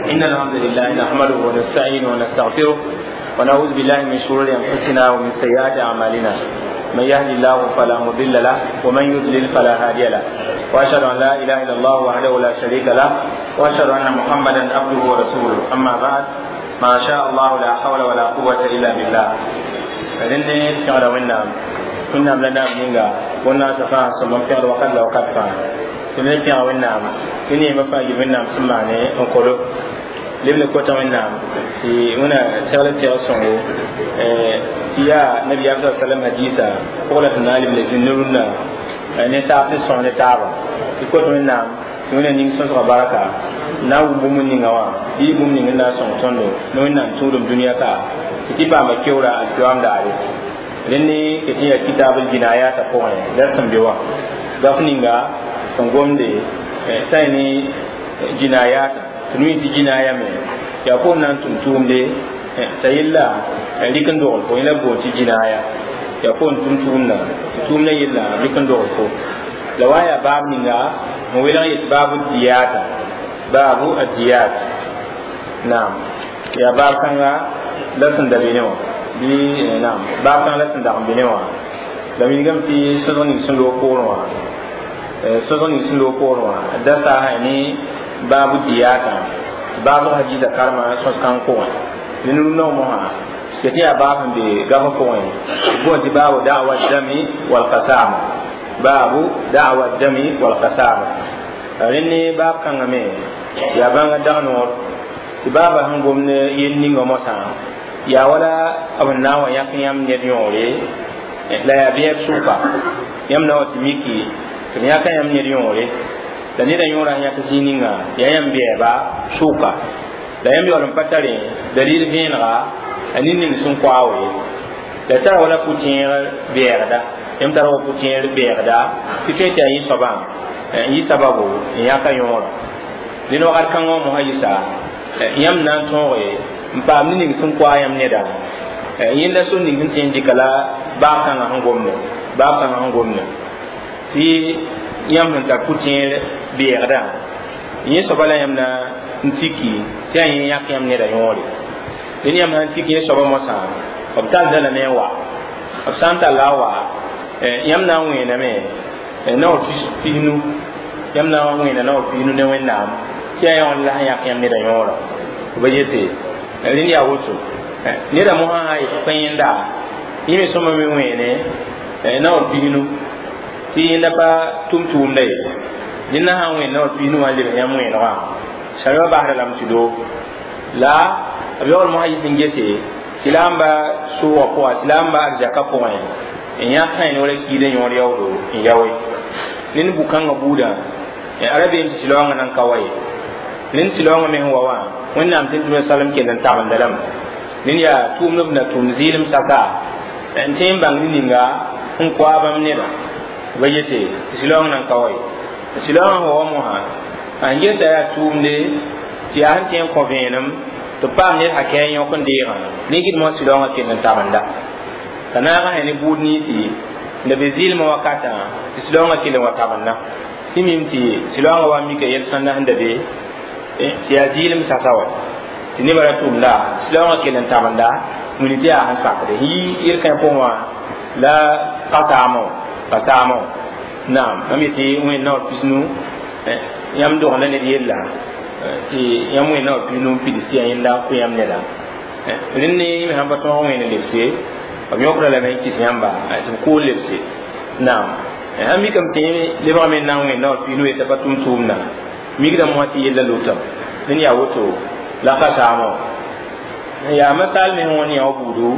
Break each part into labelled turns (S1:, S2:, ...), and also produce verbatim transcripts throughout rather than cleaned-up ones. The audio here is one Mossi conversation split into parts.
S1: إن الحمد لله نحمده ونستعينه ونستغفره ونعوذ بالله من شرور أنفسنا ومن سيئات أعمالنا من يهد الله فلا مضل له ومن يضلل فلا هادي له وأشهد أن لا إله إلا الله وحده لا شريك له وأشهد أن محمدا عبده ورسوله أما بعد ما شاء الله لا حول ولا قوة إلا بالله فإنني تعالى وإنام وإنام لنا بنينغا والناس فاهم سمم في الوقت لو قد فاهم tɩ me pẽg wẽnnaam tɩ neemã fãa yɩ wẽnnaam sẽn maane n kolo leb le kota wẽnnaam tɩ wẽna segl segl sõngo tɩ yaa nabiyaam sa salam hadiisa pʋg la tɩ na n leb le zĩnd ne rũnnã ne saab sẽn sõs ne taaba tɩ kot wẽnnaam tɩ wẽna ning sõsgã barka na n wʋm bũmb ninga wã bɩ bũmb ning n na n sõng tõndo ne wẽnnaam tũudum dũniyã ka tɩ tɩ paama keoora alkiyoam daare rẽnd ne ket n yaa kitab l jinayata pʋgẽ la sẽn be wã gaf ninga sẽn gomde sã ne jinayata tɩ nu tɩ jinaya me yaa fo na n tʋm tʋʋmde t'a yella rɩk n dogl fo yẽla boon tɩ jinaya yaa fo n tʋm tʋʋmdã tɩ tʋʋmdã yella rɩk n dogl fo la wa yaa baab ninga n welg yet baabu diyata baabu adiyat naam yaa baab kãnga la sẽn da be ne wã bɩ naam baab kãng la sẽn dag n be ne wã la wilgame tɩ sõsg ning sẽn loog poorẽ wã sõsg ning sẽn loog poorẽ wã da saasa ne baabu diyata baabg hadiisa karema sõs kãng pʋgẽ ned rũndã mosã tɩ tɩ yaa baab sẽn be gafã pʋgẽ boon tɩ baabu da'wa dami walqasama baabu da'wa dami walqasama rẽnd ne baab kãngã me yaa bãnga dag noor tɩ baaba sẽn gomd yel ninga mosã yaa wala b na n wa yãk yãmb ned yõore la yaa bẽeb sʋka yãmb na wa tɩ miki tɩ b yãka yãmb ned yõore la neda yõora sẽn yãk zĩig ninga yaa yãmb bɛɛba sʋka la yãmb yaool n pa tare dalil vẽenega a ned ning sẽn koa we la tara wala pʋ-tẽeg bɛɛgda yãmb tara wa pʋ-tẽer bɛɛgda tɩ tõe tɩ yaa yẽ soabã n yɩ sababu n yãka yõora dẽnd wakat kãngã wã mosã yɩsa yãmb na n tõoge n paam ned ning sẽn koa yãmb neda yẽnda sor ning sẽn tõe n dɩka la baab kãngã sẽn gomde baab kãngã sẽn gomde tɩ yãmb sẽn tar pʋ-tẽer bɛɛgdã yẽ soaba la yãmb na n tiki tɩ yaa yẽ yãk yãmb neda yõore dẽnd yãmb sãn tik yẽ soaba mosã b tallda lame n wa b sã n talla a wa yãmb na n wẽename naoor pisnu yãmb na n wẽena naoor pisnu ne wẽnnaam tɩ yaa yãon la sẽn yãk yãmb neda yõora b yete rẽnd yaa woto neda mosã sã yetɩ pẽ yẽnda yẽ me sõma me wẽene naoor pisnu tɩ yẽnda pa tʋm tʋʋmda ye dẽnda sã n wẽen naoor pisnu wã n lebs yãmb wẽenegã sariba basda lame tɩ doo la b yaool mosã yɩs n gese tɩ la n ba sʋʋgã pʋga tɩ la n ba arzaka pʋgẽ n yãk sã ne wala kiida yõor yaoodo n yaoe ned bu-kãngã buudã ra beem tɩ sɩlaoongã nan ka wa ye ned sɩlaoongã me sẽn wa wã wẽnnaam tɩ tɩ salem kell n tagemda lame ned yaa tʋʋmd b na tʋm zɩɩlem saka n tõe n bãng ne ninga sẽn koa bãmb neda ba yete tɩ sɩlaoong nan ka wa ye sɩlaoongã sẽn wa wã mosã a gesa yaa tʋʋmde tɩ yaa sẽn tõe n kõ vẽenem tɩ paam ned hakɛ n yõk n deegã ne gɩd mosã sɩlaoongã kell n tagemda t'a naagã sẽn ne buud ninsi la be zɩɩlmã wakatã tɩ sɩlaoongã kell n wa tagemda tɩ mim tɩ sɩlaoongã wa mika yel-sõnda sẽn da be tɩ yaa zɩɩlem sasa wa tɩ nebã ra tʋmda sɩlaoongã kell n tagemda wĩni tɩ yaa sẽn sakde yɩ yel-kãe pʋgẽ wã la kasaamõ kasaamõ naam mam yetɩ wẽnd naoor pisnu yãmb dogenda ned yella tɩ yãmb wẽnd naoor pisnu n pids tɩ yaa yẽnda kʋ yãmb neda rẽnd ne yẽ me sãn pa tõog wẽnd lebse b yõkda lame n kɩs yãmba tɩ b kool lebse naam sãn mikame tɩ lebgame n na n wẽnd naoor pisnu yetã pa tʋm tʋʋmdã mikdame wã tɩ yella lotame dẽnd yaa woto la kasaamõ yaa masal me sẽn wãn yã wa buudu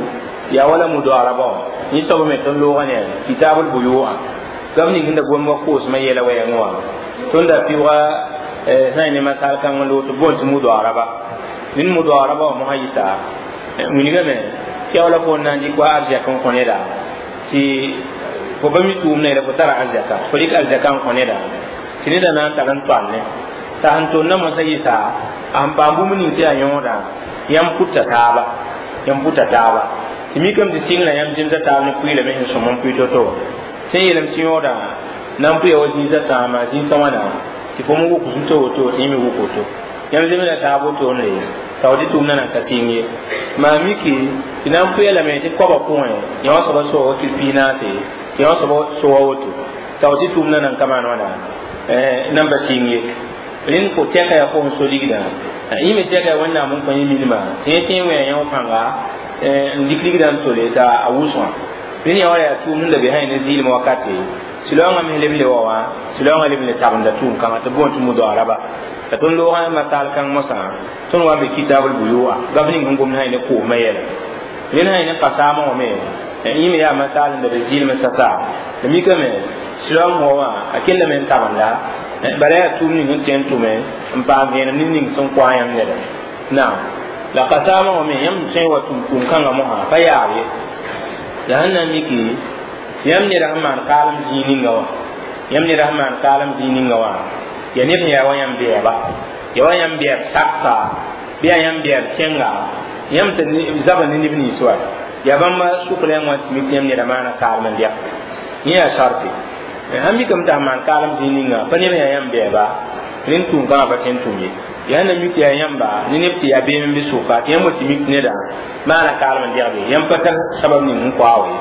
S1: yaa wala mudoarabã wã yẽ soab me tõnd loogã ne kitabl buyu'a gam ning sẽn da gom wa koosmã yɛla wɛɛngẽ wã tõnd da pɩʋga sã n ne masal kãng n loog tɩ boon tɩ mudoaraba ned mudoaraba wã mosã yɩsa wilgame tɩ yaa wala fo n na n dɩk wa arzɛk n kõ neda tɩ fo pa mi tʋʋmda yɛla fo tara arzɛka fo rɩk arzɛka n kõ neda tɩ neda na n tar n toalne t'a sẽn tonna mosã yɩsa a sẽn paam bũmb ning tɩ yaa yõoda yãmb pʋta taaba yãmb pʋta taaba tɩ mikame tɩ sɩngrã yãmb zemsa taab ne pʋɩɩlame sẽn sõm n pʋɩ to-to tɩ n yeelame tɩ yõoda na n pʋya wa zĩisã tãama zĩisã wãna tɩ fo me wʋk zu-to woto tɩ yẽ me wʋk woto Yãmb zemda taab wotone t'a tɩ tʋʋmdã nan ka sɩng ye maa miki tɩ na n pʋɩ lame tɩ koabã pʋgẽ yã wã soaba soga wakil piig naase tɩ yã wã soaba soga woto t'a tɩ tʋʋmdã nan ka maan wãna nan pa sɩng ye rẽnd ko tɛka yaa fo n so ligdã yẽ me tɛka yaa wẽnnaam n kõ yẽ minimã tɩ yẽ tẽ n wẽ yã pãnga n dɩk ligdã n tole t'a a wʋsgã rẽnd yã wa yaa tʋʋm sẽn da be sã ne zɩɩlem wakate sũ-laoongã me leb n le wa wã sũ-laoongã leb n le tabenda tʋʋm kãngã tɩ boond tɩ mudaaraba la tõnd loogã masal kãng mosã tõnd wa n be kitabl buyu'a gaf ning sẽn gomd sã ne koosmã yɛla rẽnd sã ne kasaamã wã me yẽ me yaa masal n da be zɩɩlem sasa la mikame sũ-laoong wa wã a kellame n tabenda bala yaa tʋʋm ning n tõe n tʋme n paam vẽenem ne ning sẽn kõ a yãmb neda naam la kasaamã wã me yãmb tõe n wa tʋm tʋʋm kãngã mosã pa yaab ye la sẽn na n miki tɩ yãmb neda sẽn maan kaalem zĩig ninga wã yãmb neda sẽn maan kaalem zĩig ninga wã ya ned sẽn yaa wa yãmb bɛɛba ya wa yãmb bɛɛb saksa bɩ yaa yãmb bɛɛb kẽnga yãmb tɩ zaba ne neb nins wa yaa bãmba sʋk la yãmb wã tɩ mik tɩ yãmb neda maana kaalem n lɛg yẽ yaa sarte sãn mikame t'a maan kaalem zĩig ninga pa neb yaa yãmb bɛɛba rẽnd tʋʋm kãngã pa tõe n tʋm ye yaa na mik yaa yãmba ne neb tɩ yaa beem n be sʋka tɩ yãmb wa tɩ mik neda maana kaalem n dɛgbe yãmb pa tar sabab ning n koa ye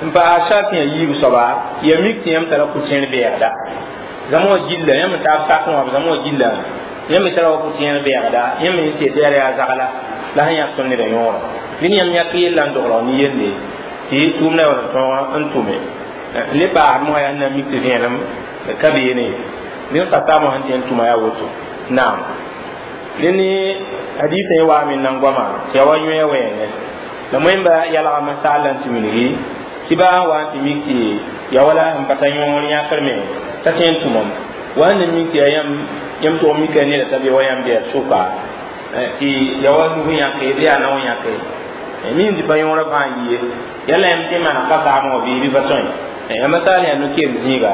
S1: n paas sart yã yiib soaba ya mik tɩ yãmb tara pʋ-tẽer bɛɛgda zãma wã gilla yãmb taab sak wã b zãma wã gilla yãmb me tara wa pʋ-tẽer bɛɛgda yãmb me tɩ tɩ yaa zagla la sẽn yãk tõnd neda yõora rẽnd yãmb yãk yella n dogl ne yelle tɩ tʋʋmdã wala tõog n tʋme le paasd mosã yaa na mik tɩ vẽenem ka beene rẽnd kasaamã sẽn tɩ n tʋma yaa woto naam rẽnd hadisã yẽ waame n nan goama tɩ yaa wa yõe wɛɛngẽ la moẽmba yalga masal la n tɩ wilgi tɩ baa n wa n tɩ mik tɩ ya wala sẽn pa ta yõor yãkr me t'a tõe n tʋmam wa sẽn na mik tɩ yaa yãmb yãmb tʋg mika neda t'a be wa yãmb bɛɛb sʋka tɩ ya wa nug yãke bɩ yaa nao yãke min tɩ pa yõorã fãa yi ye yala yãmb tɩ maan kasaamã wã bɩ bɩ pa tõe ya masal yaa no-keem zĩiga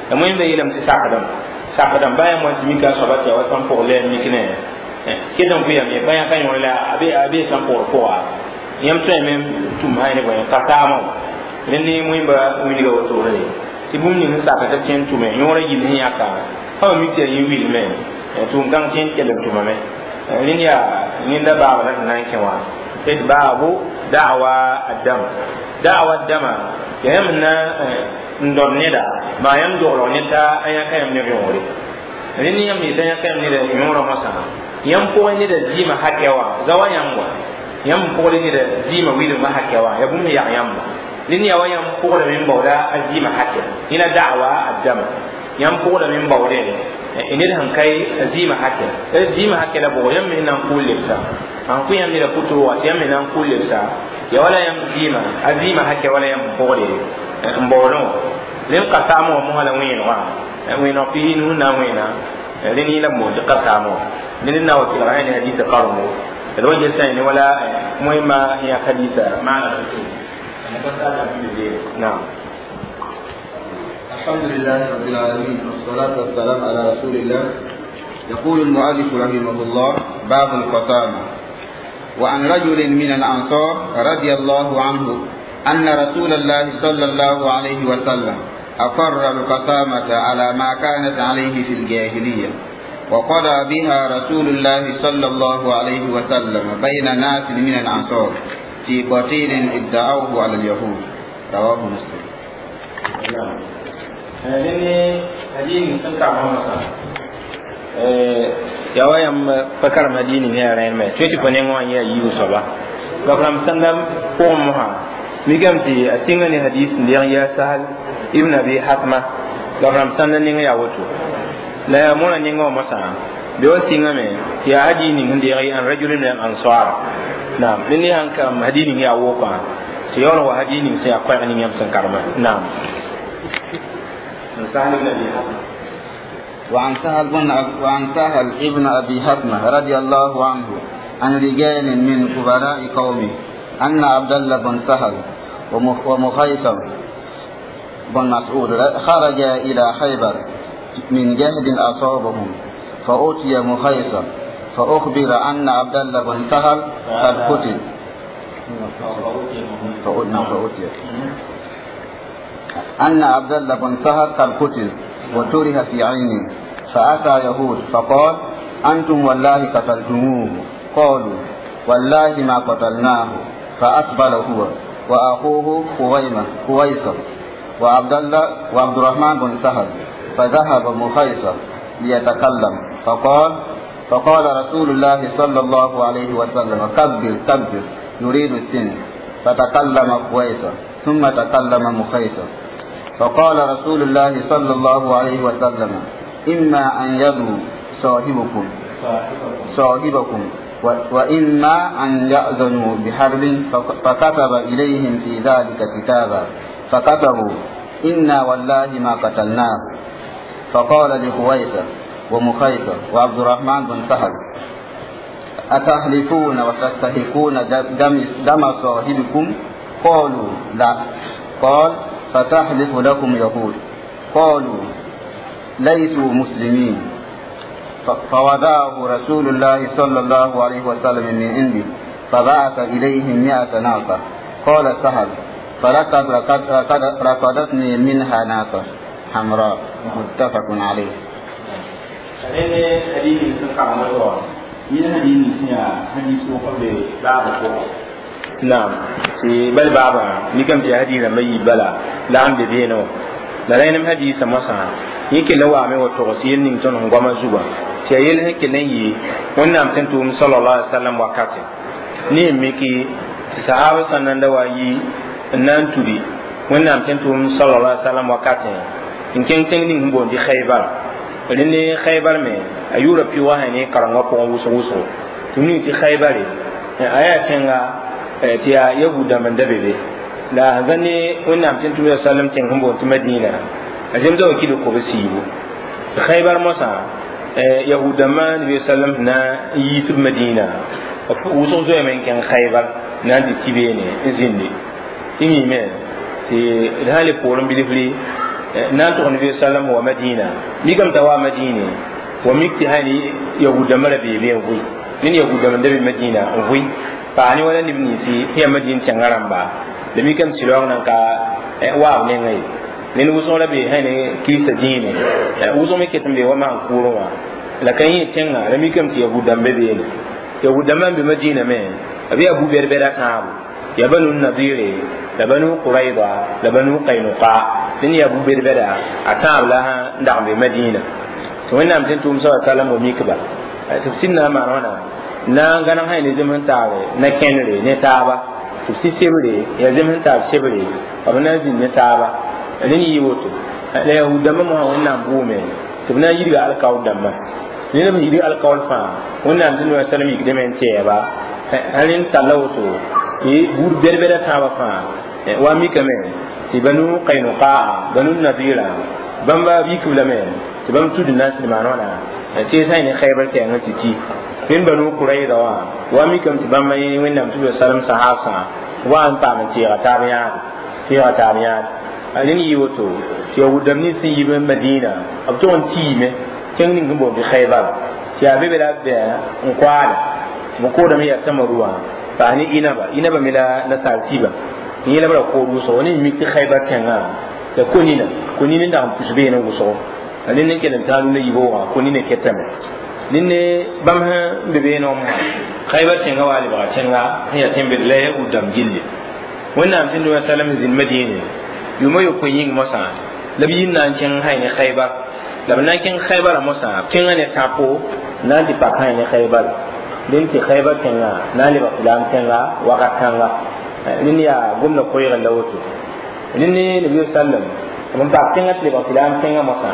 S1: la moẽmba yeelame tɩ sakdem sakdem baa yãmb wa tɩ mika a soaba tɩ ya wa sẽn pʋg la mik ne ket n pʋyame ye pa yãka yõor la a be a be sẽn pʋgd pʋga yãmb tõeme n tʋm sã ne bõe kasaamã wã rẽnd ne moẽmba wilga wotore tɩ bũmb ning sẽn sak tɩ b tõe n tʋme yõorã yill sẽn yãka fãa mik tɩ yaa yẽ wilme tʋʋm kãng tõe n kell n tʋmame rẽnd yaa yẽnda baaba la tɩ na n kẽ wã tɩ baabu da'wa addam da'wa addama yaa yãmb na n dõd neda maa yãmb doglg ne t'a a yãka yãmb neb yõore rẽnd yãmb yetã yãka yãmb neda yõorã mosã yãmb pʋgẽ neda zɩɩmã hakɛ wã za wa yãmb wa yãmb pʋgl neda zɩɩmã wilgmã hakɛ wã yaa bũmb sẽn yag yãmba rẽnd yaa wa yãmb pʋgdame n baooda a zɩɩmã hakɛ yẽna da'wa addama yãmb pʋgdame n baoodẽ ned sẽn ka a zɩɩmã hakɛ zɩɩmã hakɛ la bʋgo yãmb me na n kʋʋl lebsa n kõ yãmb neda pʋtʋʋga tɩ yãmb me na n kʋʋl lebsa ya wala yãmb zɩɩmã a zɩɩmã hakɛ wala yãmb pʋgde n baoodẽ wã rẽnd kasaamã wã mosã la wẽenegã wẽeneg pis nu na n wẽena rẽnd yẽ la b moon tɩ kasaamã wã rẽnd na wa kelga ne hadisa karengo d wa gesa ne wala moẽmã yãk hadisa maana نعم
S2: الحمد لله رب العالمين والصلاة والسلام على رسول الله. يقول المؤلف رحمه الله: باب القسامة. وعن رجل من الأنصار رضي الله عنه أن رسول الله صلى الله عليه وسلم أقر القسامة على ما كانت عليه في الجاهلية، وقضى بها رسول الله صلى الله عليه وسلم بين ناس من الأنصار في قتيل ادعوه على اليهود. رواه مسلم.
S1: نعم. لأن هذه تنكع محمد ya wa yãmb pa karem adiini ne yaa rẽnd me tõe tɩ pa neng wã n yaa yiibu soaba gafrãmb sãnda pʋgẽ mosã mikame tɩ a sɩnga ne hadis n deg n yaa Sahal ibn Abi Hatma gafrãmb sãnda neng yaa woto la yaa mõna nengã wã mosã be wa sɩngame tɩ yaa hadii ning sẽn deeg an rajul min al ansar naam rẽnd ne sãn kam hadii ning yaa wokã tɩ yaool wa hadii ning sẽn yaa koɛɛg ning yãmb sẽn karema naam Sahal ibn Abi Hatma.
S2: وعن سهل بن وعن سهل ابن أبي حتمة رضي الله عنه عن رجال من كبراء قومه أن عبد الله بن سهل ومخيصر بن مسعود خرج إلى خيبر من جهد أصابهم، فأتي مخيصر فأخبر أن عبد الله بن سهل قد قتل. فأتي أن عبد الله بن سهل قد قتل وتره في عينه، فأتى يهود فقال: أنتم والله قتلتموه. قالوا والله ما قتلناه. فأقبل هو وأخوه خويمة خويصة وعبد الله وعبد الرحمن بن سهل، فذهب مخيصة ليتكلم، فقال فقال رسول الله صلى الله عليه وسلم كبر كبر، يريد السن. فتكلم خويصة ثم تكلم مخيصة، فقال رسول الله صلى الله عليه وسلم إما أن يدعو صاحبكم صاحبكم وإما أن يأذنوا بحرب. فكتب إليهم في ذلك كتابا، فكتبوا إنا والله ما قتلناه. فقال لخويصة ومخيصة وعبد الرحمن بن سهل أتحلفون وتستحقون دم, دم صاحبكم؟ قالوا لا. قال فتحلف لكم يهود. قالوا ليسوا مسلمين. فوضعه رسول الله صلى الله عليه وسلم من عنده، فبعث إليهم مئة ناقة. قال سهل فلقد رقدتني منها ناقة حمراء. متفق عليه.
S1: نعم بل بابا نكم في حديث ما يبلا لا عند دينه لا لين حديث مسا yake lawa mai wato wasiyar nin ton ngwama zuba ti yel he kelen yi wannan tan tum sallallahu alaihi wasallam wakati ni miki sahaba sanan da wayi nan turi wannan tan tum sallallahu alaihi wasallam wakati in ken ten nin bon di Khaybar ne Khaybar me ayura pi wa ne karanga ko wuso wuso tuni ti Khaybar aya tenga ti ya yahuda man da bebe la zane wannan tan tum sallallahu alaihi wasallam ten bon ti Madina azem zo kido ko besibu Khaybar mosa yahuda man bi sallam na yitub Madina wuso zo men ken Khaybar na di tibene izindi timi me ti hali porum bilifli na to nabi sallam wa Madina migam tawa Madina wa mikti hani yahuda mara be be ngui nin yahuda man da Madina ngui pa ni wala ni si hiya Madina changaramba de mikam silong nan ka wa ne ngai nin wuso la be hani kisa dine wuso me ketem be wa man kuro wa la kan yi tenga la mikam ti yahuda be be ne yahuda man be Madina me abi abu berbera tabu ya banu nadire la banu quraiba la banu qainuqa din ya abu berbera atab la nda be Madina to wannan mutum tum sa sallam wa mikba tafsirna ma wana na ganan hayne zaman tawe na kenre ne taba tafsir sebre ya zaman ta sebre abuna zin ne taba ne yi woto la yahuda ma mo wannan bume to na yiri alkaw damma ne ne yiri alkaw fa wannan mutum sallam yikde men ba halin talawto e bur berbera taba fa wa mi kame ti banu qainuqa banu nadira bamba bi kubla men ti bam tudu nas ni manona ti sai ne Khaybar ke ngati ti min banu quraida wa wa mi kam ti bamba ni wenna tu sallam sahaba wa an pa man ti ga tabiya ti ga tabiya alin yi woto ti yahudam ni sin yi Madina abton ti me ken ni ngbo bi Khaybar ti abe be la be nkwala mo ko da mi ya tamaruwa ba ni inaba inaba mila na saltiba ni la bara ko ruso ni mi ti Khaybar tenga da konina konina da pusbe na guso ani ne kenan tanu ne yibo wa konina ketame ninne bam ha bebe no mo Khaybar tenga wali ba tenga ya tembe la ya udam gilli wannan tin da sallam zin Madina yuma yo ko yin mosa labi nan ken hayne Khaybar labi nan ken Khaybar mosa kenga ne tapo nan di pa hayne Khaybar din ti Khaybar tenga na li ba filam tenga waka tanga din ya gumna koyra lawoto din ne nabi sallam mun ba tenga ti ba filam tenga mosa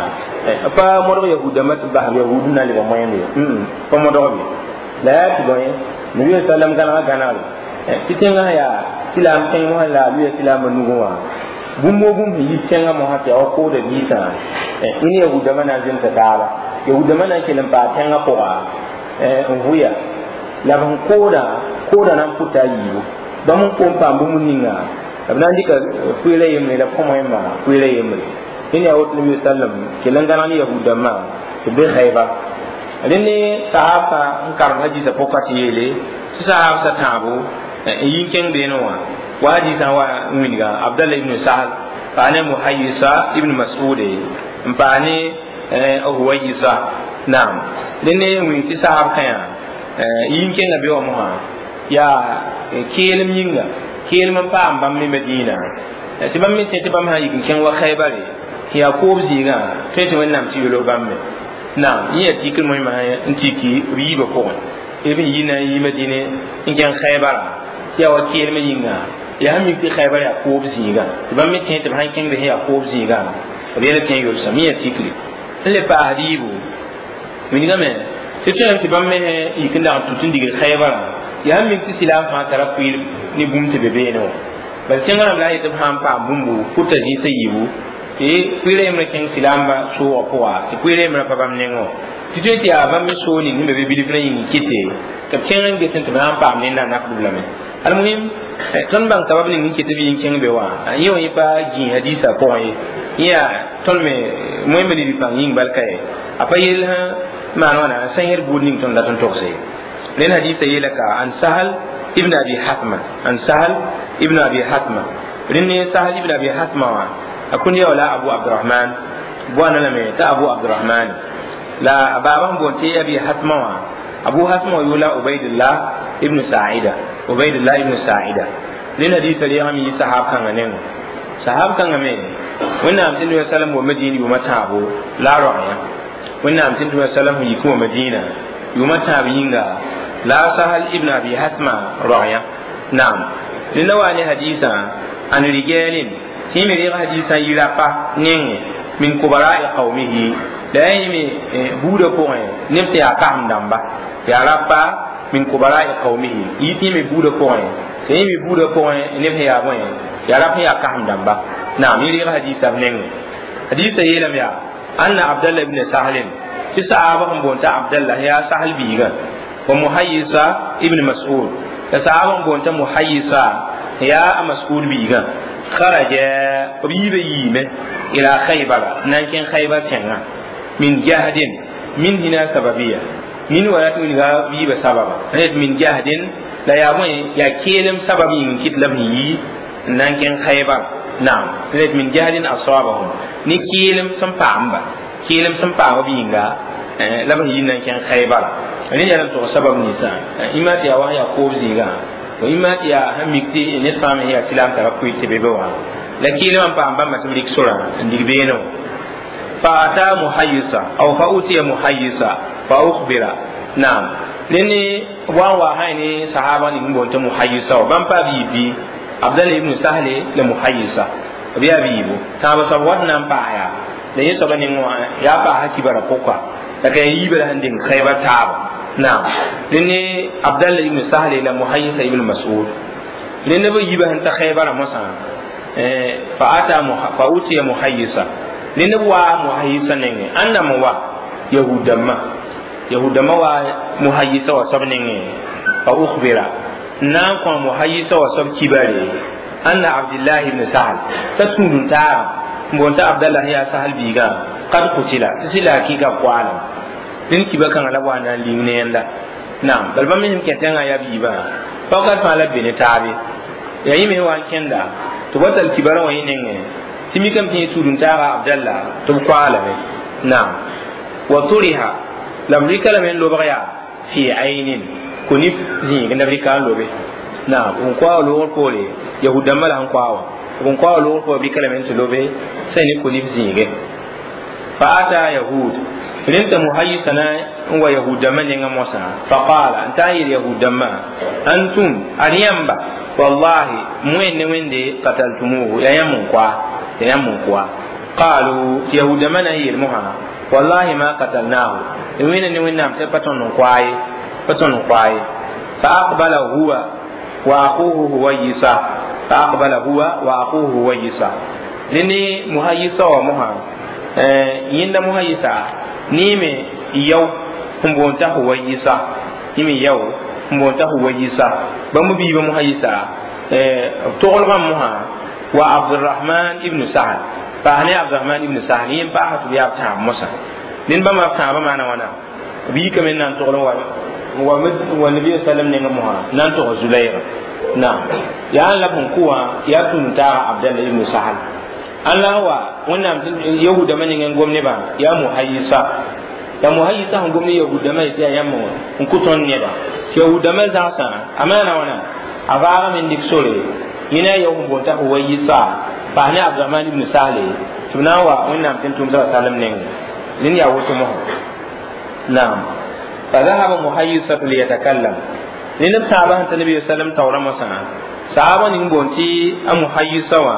S1: pa mo do yahuda mat ba yahudu na li ba moyende mm pa mo do bi la ya ti boye nabi sallam kana kana ti tenga ya filam tenga la bi filam nugo wa bumbo bum yi tenga mo hati o ko de bisa ini yahuda mana jin ta tara yahuda mana kenan ba tenga ko a nguya la ban koda koda nan puta yiwo ba mun ko pa bu mun ninga abna ndika kuile yemne la komo yemma kuile yemne ini ya wotu nabi sallam kelan gana ni yahuda ma to be Khaybar alinne sahaba n karam hadisa pokati yele sahaba sa tabo yin ken be no wa wa hadisa wa winga Abdullah ibn Sahal fa ne Muhayyisa ibn Mas'ud mpa ne Huwayisa Naam, dẽnd ne wĩng tɩ sahab kãyã yĩn kẽnga be wã mosã yaa keelem yĩnga keelem n paam bãmb me Madina tɩ bãmb me tẽ tɩ bãmb sã n yik n kẽng wa Xaybare tɩ yaa koob zĩigã tõe tɩ Wẽnnaam tɩ yolg bãmb me. Naam, yẽ yaa tikr moẽmã n tiki b yiibã pʋgẽ b n yi na n yi Madine n kẽng Xaybara tɩ yaa wa keelmã yĩnga yaa sẽn mik tɩ Xaybar yaa koob zĩigã tɩ bãmb me tẽ tɩ b sãn kẽng be sẽn yaa koob zĩigã b yɛl tẽ yolsem. Yẽ yaa tikre n le paasd yiibu wilgame tɩ tõem tɩ bãmb me yik n dag n tut n digd Xaybara yaa sẽn mik tɩ silaam fãa tara pʋɩɩr ne bũmb tɩ be beene wã bal tẽngã rãmb la a yet b sã n paam bũmbu pʋta zĩisã yiibu tɩ pʋɩɩrã yembrã kẽng silaamba soogã pʋga tɩ pʋɩɩrã yembrã pa bãmb nengẽ wã tɩ tõe tɩ yaa bãmb me soog ning sẽn be be bilf rã yĩng kɩte tɩ b kẽng n get tɩ b na n paam ned n nakdb lame. Almuhim, tõnd bãng sabab ning n ket b yĩn kẽng be wã yẽ wã yẽ pa gĩi hadisa pʋgẽ ye yẽ yaa tõnd me moẽmbe ne rɩ-pãng yĩng bal ka ye a pa yell sã maan wãna sẽn yẽd buud ning tõnd dat n togse ye. Rẽnd hadisa yeela ka an Sahal ibn Abi Hatma, an Sahal ibn Abi Hatma. Rẽnd ne Sahal ibn Abi Hatma wã a kũnd ya wala Abu Abdurahman boana lame t'a Abu Abdurahman la a baaba sẽn boond tɩ Abi Hatma wã Abu Hatma wã yʋʋla Ubaidullah ibn Saida, Ubaidullah ibn Saida. Rẽnd hadisa reegame yɩ sahab kãngã nengẽ. Sahab kãngã me Wẽnnaam tɩ Nabi sallam wa Madina yʋʋma tãabo la a roagã Wẽnnaam tɩ Nabi sallam sẽn yik wa Madina yʋʋma tãab yĩnga la Sahal ibn Abi Hatma roagã. Naam, rẽnda wa ne hadisã an rijalin tɩ me reeg hadisã yɩ rapa nengẽ min kubara'i qawmihi la yaa yẽ me buudã pʋgẽ neb sẽn yaa kasem dãmba yaa rapa min kubara'i qawmihi yɩ tɩ me buudã pʋgẽ tɩ yẽ me buudã pʋgẽ neb sẽn yaa bõe yaa rap sẽn yaa kasem dãmba. Naam, yẽ reeg hadisã b nengẽ. Hadisã yeelame yaa anna Abdallah ibn Sahlin tɩ saaba sẽn boond t'a Abdallah yaa Sahal biigã wa Muhayyisa ibn Mas'ud la saaba sẽn boond t'a Muhayyisa yaa a Mas'ud biigã kharaja b yiibã yiime ila Khaybara na n kẽng Khaybar tẽngã min jahdin min hina sababiya min wala tɩ wilga yiibã sababa ret min jahdin la yaa bõe yaa keelem sabab yĩng n kɩt la b sẽn yi n na n kẽng Khaybar. Naam, ret min jahdin asabahum ne keelem sẽn paamba keelem sẽn paam b yĩnga la b sẽn yi n na n kẽng Khaybar. Rẽ yaa n tog sabab ninsã yĩma tɩ yaa wa yaa koob zĩigã yĩma tɩ yaa sẽn mik tɩ ned fãa me yaa silaam tara pʋɩ tɩ be be wã la keelem n paam bãmba tɩ b rɩk sorã n dig beene wã. Fa ata Muhayyisa aw fa utiya Muhayyisa fa ukhbira. Naam, rẽnd wa n wa sã ne sahaba ning n boond tɩ Muhayyisa wã bãmb pa b yiib bɩ Abdallah ibn Sahle la Muhayyisa b yaa b yiibu tãab soab wat na n paas yaa la yẽ soaba neng wã yaa paasa kibara pʋka la ka yiibã la sẽn deng Khaybar taaba. Naam, rẽnd ne Abdallah ibn Sahle la Muhayyisa ibn Mas'ud rẽnd b yiibã sẽn ta Khaybara mosã fa ata fa utiya Muhayyisa rẽnd b waa Muhayyisa nengẽ ãnda me wa yahud dãmbã yahud dãmbã wa Muhayyisa wa soab nengẽ fa ukhbira n na n kõ Muhayyisa wa soab kibare anna Abdillah ibn Sahal t'a tũud n taagã n boond t'a Abdallah yaa Sahal biigã kad kutila tɩ sɩ la hakɩɩka koaalem rẽnd kiba kãngã la b wa na n ling ne yẽnda. Naam, bal bãmb me sẽn kẽ tẽngã yaa biibã paokat fãa la b be ne taabe yaa yẽ me sẽn wa n kẽnda tɩ b wa tall kibarã wã yẽ nengẽ tɩ mikame tɩ yẽ tũud n taaga Abdallah tɩ b koaalame. Naam, wa turiha la b rɩka lame n lobg yaa fi aynin konif zĩig la b rɩka n lobe. Naam, n koa loogr poore yahud dãmbã la sẽn koa wã b n koa loogr poore b rɩka lame n tɩ lobe sã ne konif zĩige. Fa ata yahud rẽnd t'a Muhayyisa na n wa yahud dãmbã nengã mosã fa qala n taa n yeel yahud dãmbã antum ad yãmba wallahi moẽnd ne Wẽnde qataltumuhu yaa yãmb n koa yaa yãmb n koa. Qalu tɩ yahud dãmbã na n yeel mosã wallahi ma qatalnahu wẽnna ne Wẽnnaam tɩ pa tõnd n koa ye pa tõnd n koa ye. Fa aqbala huwa wa akhuhu Huwayisa fa aqbala huwa wa akhuhu Huwayisa rẽnd Muhayyisa wa mosã yẽnda Muhayyisa ne me yao n boond t'a Huwayisa yẽ me yao n boond t'a Huwayisa bãmb biibã Muhayyisa b toglgã mosã wa Abdurahman ibn Sahal paas ne Abdurahman ibn Sahal yẽ n paasa tɩ b yaa b tãab mosã ned bãmba b tãabã maana wãna b yikame n na n togl n wa wa nabi sallam nengã mosã na n tog Zulayra. Naam, yaa n la b sẽn kʋ wã yaa tũud taaga Abdallah ibn Sahal an la wa Wẽnnaam yahuudãmbã nengẽ n gom nebã yaa Muhayyisa La muhayyisa sẽn gom ne yahudãmã tɩ yaa yãmb n kʋ tõnd neda tɩ yahudãmã zãgsã a maana wãna a vaagame n dɩk sore yẽ na a yao sẽn boond t'a huwayisa paas ne abdurahman ibn sahle tɩ b na n wa wẽnnaam tɩ n tʋm sa sallam nengẽ rẽnd yaa woto mosã naam فذهب محيصة ليتكلم rẽnd b tãabã sẽn ta nabi sallam taoorã mosã saaba ning boond tɩ a muhayyisa wã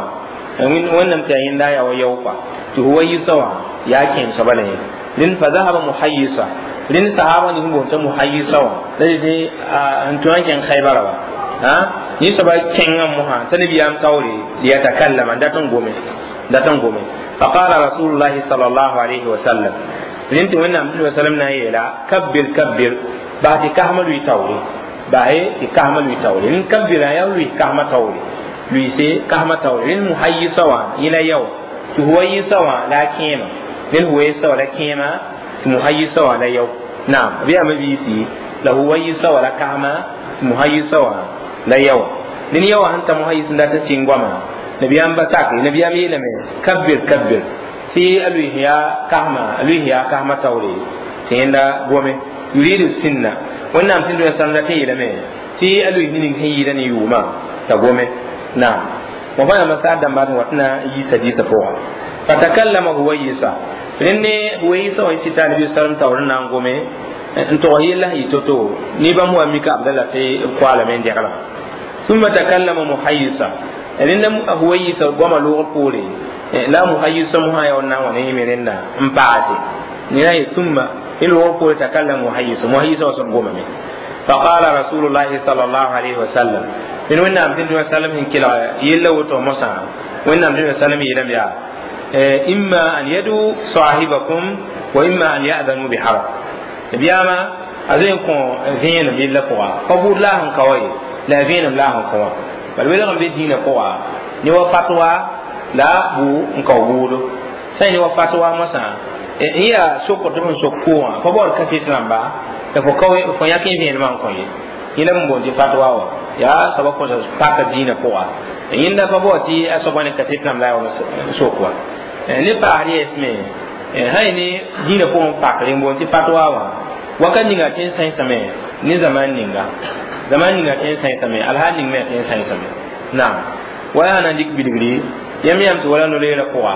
S1: wẽnnaam tɩ yaa yẽnda yaa wa yao kɔa tɩ huwayisa wã yaa kẽem soaba la yẽ rẽnd fa zahaba muhayyisa rẽnd sahaba ning boond t'a muhayyisa wã la tɩ n tõe n kẽng khaybara wa yẽ soaba kẽngã mosã t'a nabiyaam taoore liyatakallama dat n gome dat n gome فقال رسول الله صلى الله عليه وسلم rẽnd tɩ wẽnnaam tɩ sallam na n yeela kabbir kabbir bas tɩ kasmã lʋɩ taoore bas tɩ kasmã lʋɩ taoore rẽnd kabbirã yaa lʋɩ kasmã taoore lʋɩse kasmã taoore rẽnd muhayyisa wã yẽ la yao tɩ huwayisa wã la a kẽema rẽnd huwayisa wã la kẽema tɩ muhayyisa wã la yao naam b yaa mabiisi la huwayisa wã la kasmã tɩ muhayyisa wã la yao rẽnd yaowã sẽn ta muhayyis n dat n sɩng goamã nabiyaam ba sake nabiyaam yeelame kabbir kabbir tɩ a lʋɩs yaa kasma a lʋɩs yaa kasmã taoore tɩ yẽnda gome yuridu sinna wẽnnaam tɩ dũniyã sãmda tɩ yeelame tɩ a lʋɩs ne ning sẽn yɩɩda ne yʋʋmã t'a gome naam wa fa yãmba saar dãmba tɩ wat na n yiisa dɩɩsã pʋga fatakallama huwayisa rẽnd ne huwayisa wã sɩta nabi sallam taoor n na n gome n tog yella sẽn yɩ to-to ne bãmb wa mika abdalla tɩ b koaalame n dɛglã ثم تكلم محيصة rẽnda huwayisa goama loogr poore la muhayyisa mosã yaa na n wa ne yẽme rẽnda n paase nera ye ثم loogr poore تكلم muhayyisa muhayyisa wã soab gomame فقال رسول الله صلى الله عليه وسلم من wẽnnaam tɩ sallam sẽn kelg yella woto mosã wẽnnaam tɩ sallam yeelame yaa إما أن يدوا صاحبكم وإما أن يأذنوا بحرب nabiyaama a zoe n kõ vẽenem yella pʋga pa buud la a sẽn ka wa ye la a vẽenem la a sẽn kõ wã bal welg n be dĩinã pʋga ne wa fatwa la bu n kao buudo sã ne wa fatwa mosã n yaa sokr tɩ b sẽn sok koogã pa baood kaset rãmba la fo kao fo yãk n vẽenemã n kõ ye yẽla n boond tɩ fatwa wã yaa soaba kõsa paka dĩinã pʋga yẽnda pa bao tɩ a soaba ne kaset rãmb la a wa sok wa ne paasd yɛsme sã ne dĩinã pʋgẽ pakre n boond tɩ fatwa wã wakat ninga tɩ n sãensame ne zaman ninga zaman ninga tɩ n sãensame alhaal ning me tɩ n sãensame naam wa yaa na n dɩk bilgri yãmb yãmb tɩ wala no-leerã pʋga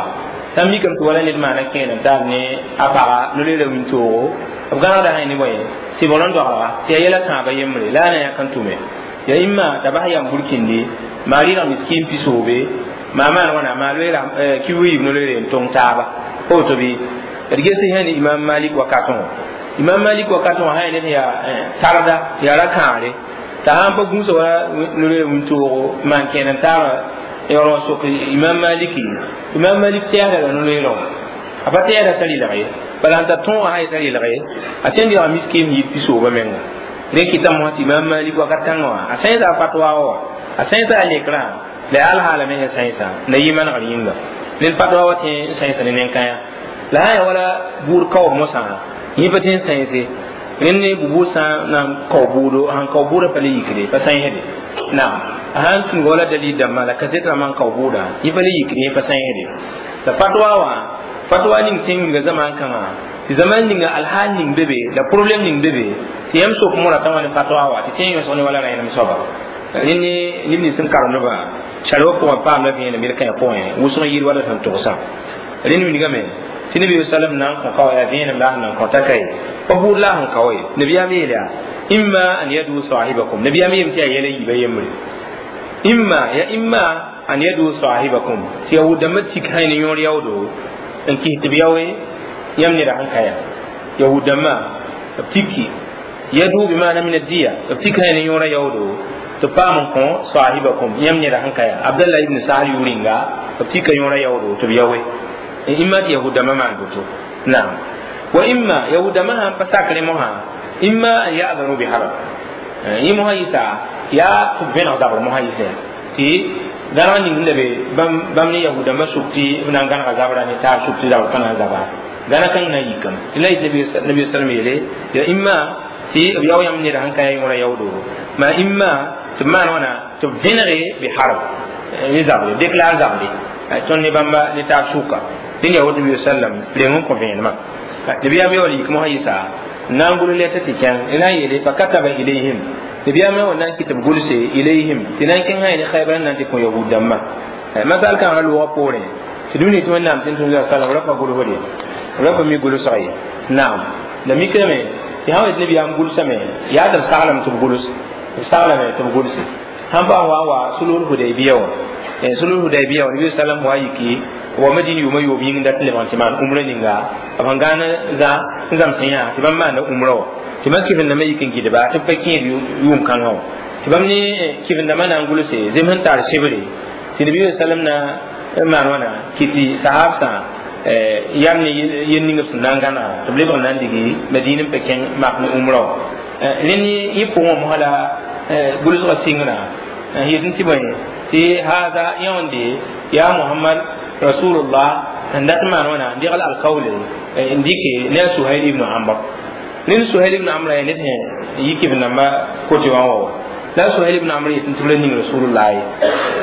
S1: sãn mikame tɩ wala ned maana kẽenem taab ne a paga no-leerã wĩntoogo b gãnegda sã ne bõe sɩbgr n doglga tɩ yaa yɛla tãabã yembre la a na yãk n tʋme ya imma t'a bas yam burkindi maa rɩɩg miskin pisoobe maa maan wãna maa loeera kibu yiib no-leere n tõng taaba pa woto bɩ d ges sã ne imam malik wakatẽ imam malik wakatẽ wã sã ned yaa tarda tɩ yaa ra-kãare t'a sãn pa gũusa wa no-leer wĩntoogo maan kẽen n taara yaoor wã sok imam maliki imam malik tɛɛsda la no-leerã wã a pa tɛɛsda t'a rɩlg ye bala n ta tõogã sã t'a rɩlg ye a tõe n deega miskin yɩɩd pisoobã menga rẽ kɩtame wã tɩ imam malik wakat kãngã wã a sãensa a fatwa wa a sãensa a lekrã la yaa alhaala me sẽn sãensa la yɩ manegr yĩnga ned fatwa wa tɩ n sãensa ne nen-kãyã la sã yaa wala buud kaoob mosã yẽ pa tɩ n sãense rẽnd ne bubuud sã n na n kao buudo sãn kao buudã pa le yikre pa sãensde naam a sãn tũnuga wala dalil dãmbã la kaset rãmbã n kao buudã yẽ pa le yikre yẽ pa sãensde la fatwa wã fatwa ning tẽng wilga zaman kãngã tɩ zaman ninga alhaal ning be be la problème ning be be tɩ yãmb sok mora t'a wã ne fatwa wa tɩ tẽn yõsg ne wala rẽenem soaba rẽnd ne neb nins sẽn karemdbã sarwa pʋgã paamda vẽenem yel-kãyã pʋgẽ wʋsg yɩɩd wala sẽn togsã rẽnd wilgame tɩ nabi sallam na n kõ kao yaa vẽenem la a sẽn na n kõ t'a ka ye pa buud la a sẽn kao ye nabiyaam yeel yaa imma an yadu sahibakum nabiyaam yeem tɩ yaa yɛla yiibã yembre imma ya imma an yadu sahibakum tɩ yahud-dãmbã tik sã ne yõor yaoodo n kis tɩ b yaoe yãmb neda sẽn ka yaa yahud-dãmbã b tiki yadu bimana min addiya b tik sã ne yõora yaoodo tɩ paam n kõ sahibakum yãmb neda sẽn ka yaa abdallah ibn sahal yʋʋr-rĩnga b tika yõora yaoodo tɩ b yaoe imma tɩ yahud-dãmbã maan woto naam wa imma yahud-dãmbã sãn pa sakre mosã imma an ya'danu biharb yẽ mosã yɩsa yaa tɩ b vẽneg zabr mosã yɩsẽ tɩ gãneg ning n la be bãmb ne yahud-dãmbã sʋk tɩ b na n gãnega zabra ne taab sʋk tɩ zabr pa na n zaba gãna kãng na n yikame tɩ la yɩ nabi sallam yeele ya imma tɩ b yao yãmb neda sẽn ka yaa yõora yaoodo ma imma tɩ b maan wãna tɩ b vẽnege biharb ne zabre déclare zabre tõnd ne bãmba ne taab sʋka dẽn yaa woto nabi sallam reng n kõ vẽenemã Nabiyam yo yik mo yisa nan gulu leta ti kẽng ina yeele fa kataba ilayhim nabiyam yo nan kitab gulse ilayhim tɩ nan kẽng sã ne Khaybar nan tɩ kõ yahud dãmbã masal kãngã loogã poorẽ tɩ dũni tɩ Wẽnnaam tɩ tʋm salam ra pa gʋlsde ra pa mi gʋlsg ye naam la mikame tɩ sã wa yet nabiyaam gʋlsame yaa tɩ b saglame tɩ b gʋls b saglame tɩ b gʋlse sãn pa wa wa sulhul hudaybiya wã sulhul hudaybiya wã nabi sallam wa yiki wa madina yʋʋma yoob yĩng dat lebg n tɩ maan umra ninga b sẽn gãan zã n zãmsẽ yã tɩ bãmb maanda umra wã tɩ bãmb kɩvendãmbã yik n gɩdba tɩ b pa kẽed yʋʋm-kãngã wã tɩ bãmb ne kɩvendãmbã na n gʋlse zem sẽn tar sebre tɩ nabi sallam na n maan wãna kɩ tɩ sahabsã yam ne yel ning b sẽn na n gãnega tɩ b lebg n na n digi madina n pa kẽng mak ne umra wã rẽnd yẽ pʋgẽ wã mosã la gʋlsgã sɩngrã n yet n tɩ bõe tɩ haada yãonde yaa Muhammad rasulullah n dat maan wãna n degl alkawle n dɩke ne a Suhail ibn Amr ned Suhail ibn Amr yaa ned sẽn yi kɩv-dãmba kote wã wa la Suhail ibn Amr yet n tɩ b la ning rasulullah ye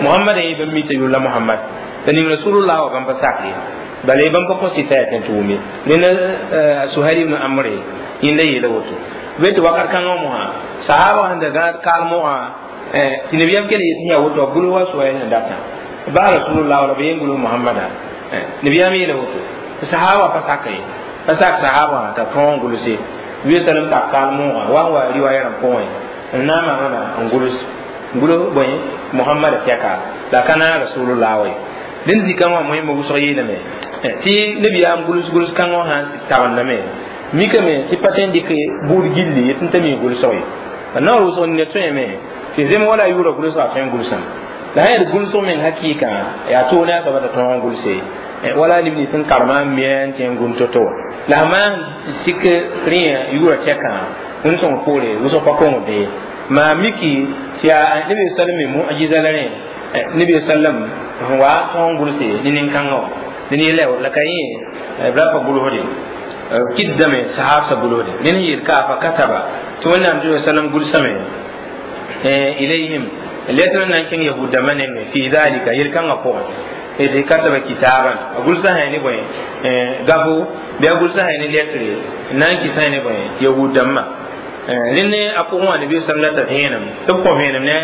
S1: Muhammad n yẽ bãmb mi t'a yʋlla Muhammad la ning rasulullah wa bãmb pa sak ye bala bãmb pa kõ sɩta yaa tẽn tɩ wʋme ned Suhail ibn Amr yẽnda yeela woto be tɩ wakat kãngã mosã sahaba sẽn da gãad kaalmogã tɩ nabiyaam kell yet yaa woto b gʋls wa Suhail sẽn datã ba rasulullah wala ba yen gʋls Muhammada nabiyaam yeela woto sahaba pa sak ye pa sak sahaba t'a tõog n gʋlse wi sallam tak kaalmogã wa n wa riwaya rãmb pʋgẽ n na n maan wãna n gʋls gʋls bõe Muhammada tɛka la ka na rasulullah wa ye dẽnd zikã wã moẽmba wʋsg yeelame tɩ nabiyaam gʋls gʋls kãngã wã sãn tagendame mikame tɩ pa tõe n dɩk buud gilli yet n t'a mi gʋlsg ye naoor wʋsg nina tõeme tɩ zem wala yʋʋra gʋlsga tõe n gʋlsame la sã yaa gʋlsg meng hakɩɩkã yaa toog ne a soaba t'a tõog n gʋlse wala neb nins sẽn karema n mia n tẽ n gũn to-to la sã maan sik rẽ yʋʋra tɛkã wẽnd sõng poore wʋsg pa kongde maa miki tɩ yaa nabi sallam me mu'jiza la rẽ nabi sallam sẽn wa tõog n gʋlse ne nin-kãngã wã ne yɛla la ka yẽ b ra pa gʋlsde kɩdame sahabsã gʋlsde ned n yeel ka fa kataba tɩ Wẽnnaam tɩ sallam gʋlsame ilayhim letr nan kẽng yahud dãmbã nengẽ fi dhalika yel-kãngã pʋgẽ tɩ kataba kitaban a gʋlsa sã ne bõe gafo bɩ a gʋlsa sã ne letre n na n kɩ sã ne bõe yahud dãmbã rẽnd a pʋgẽ wã nabi sallam la t'a vẽenem tɩ b kõ vẽenem ne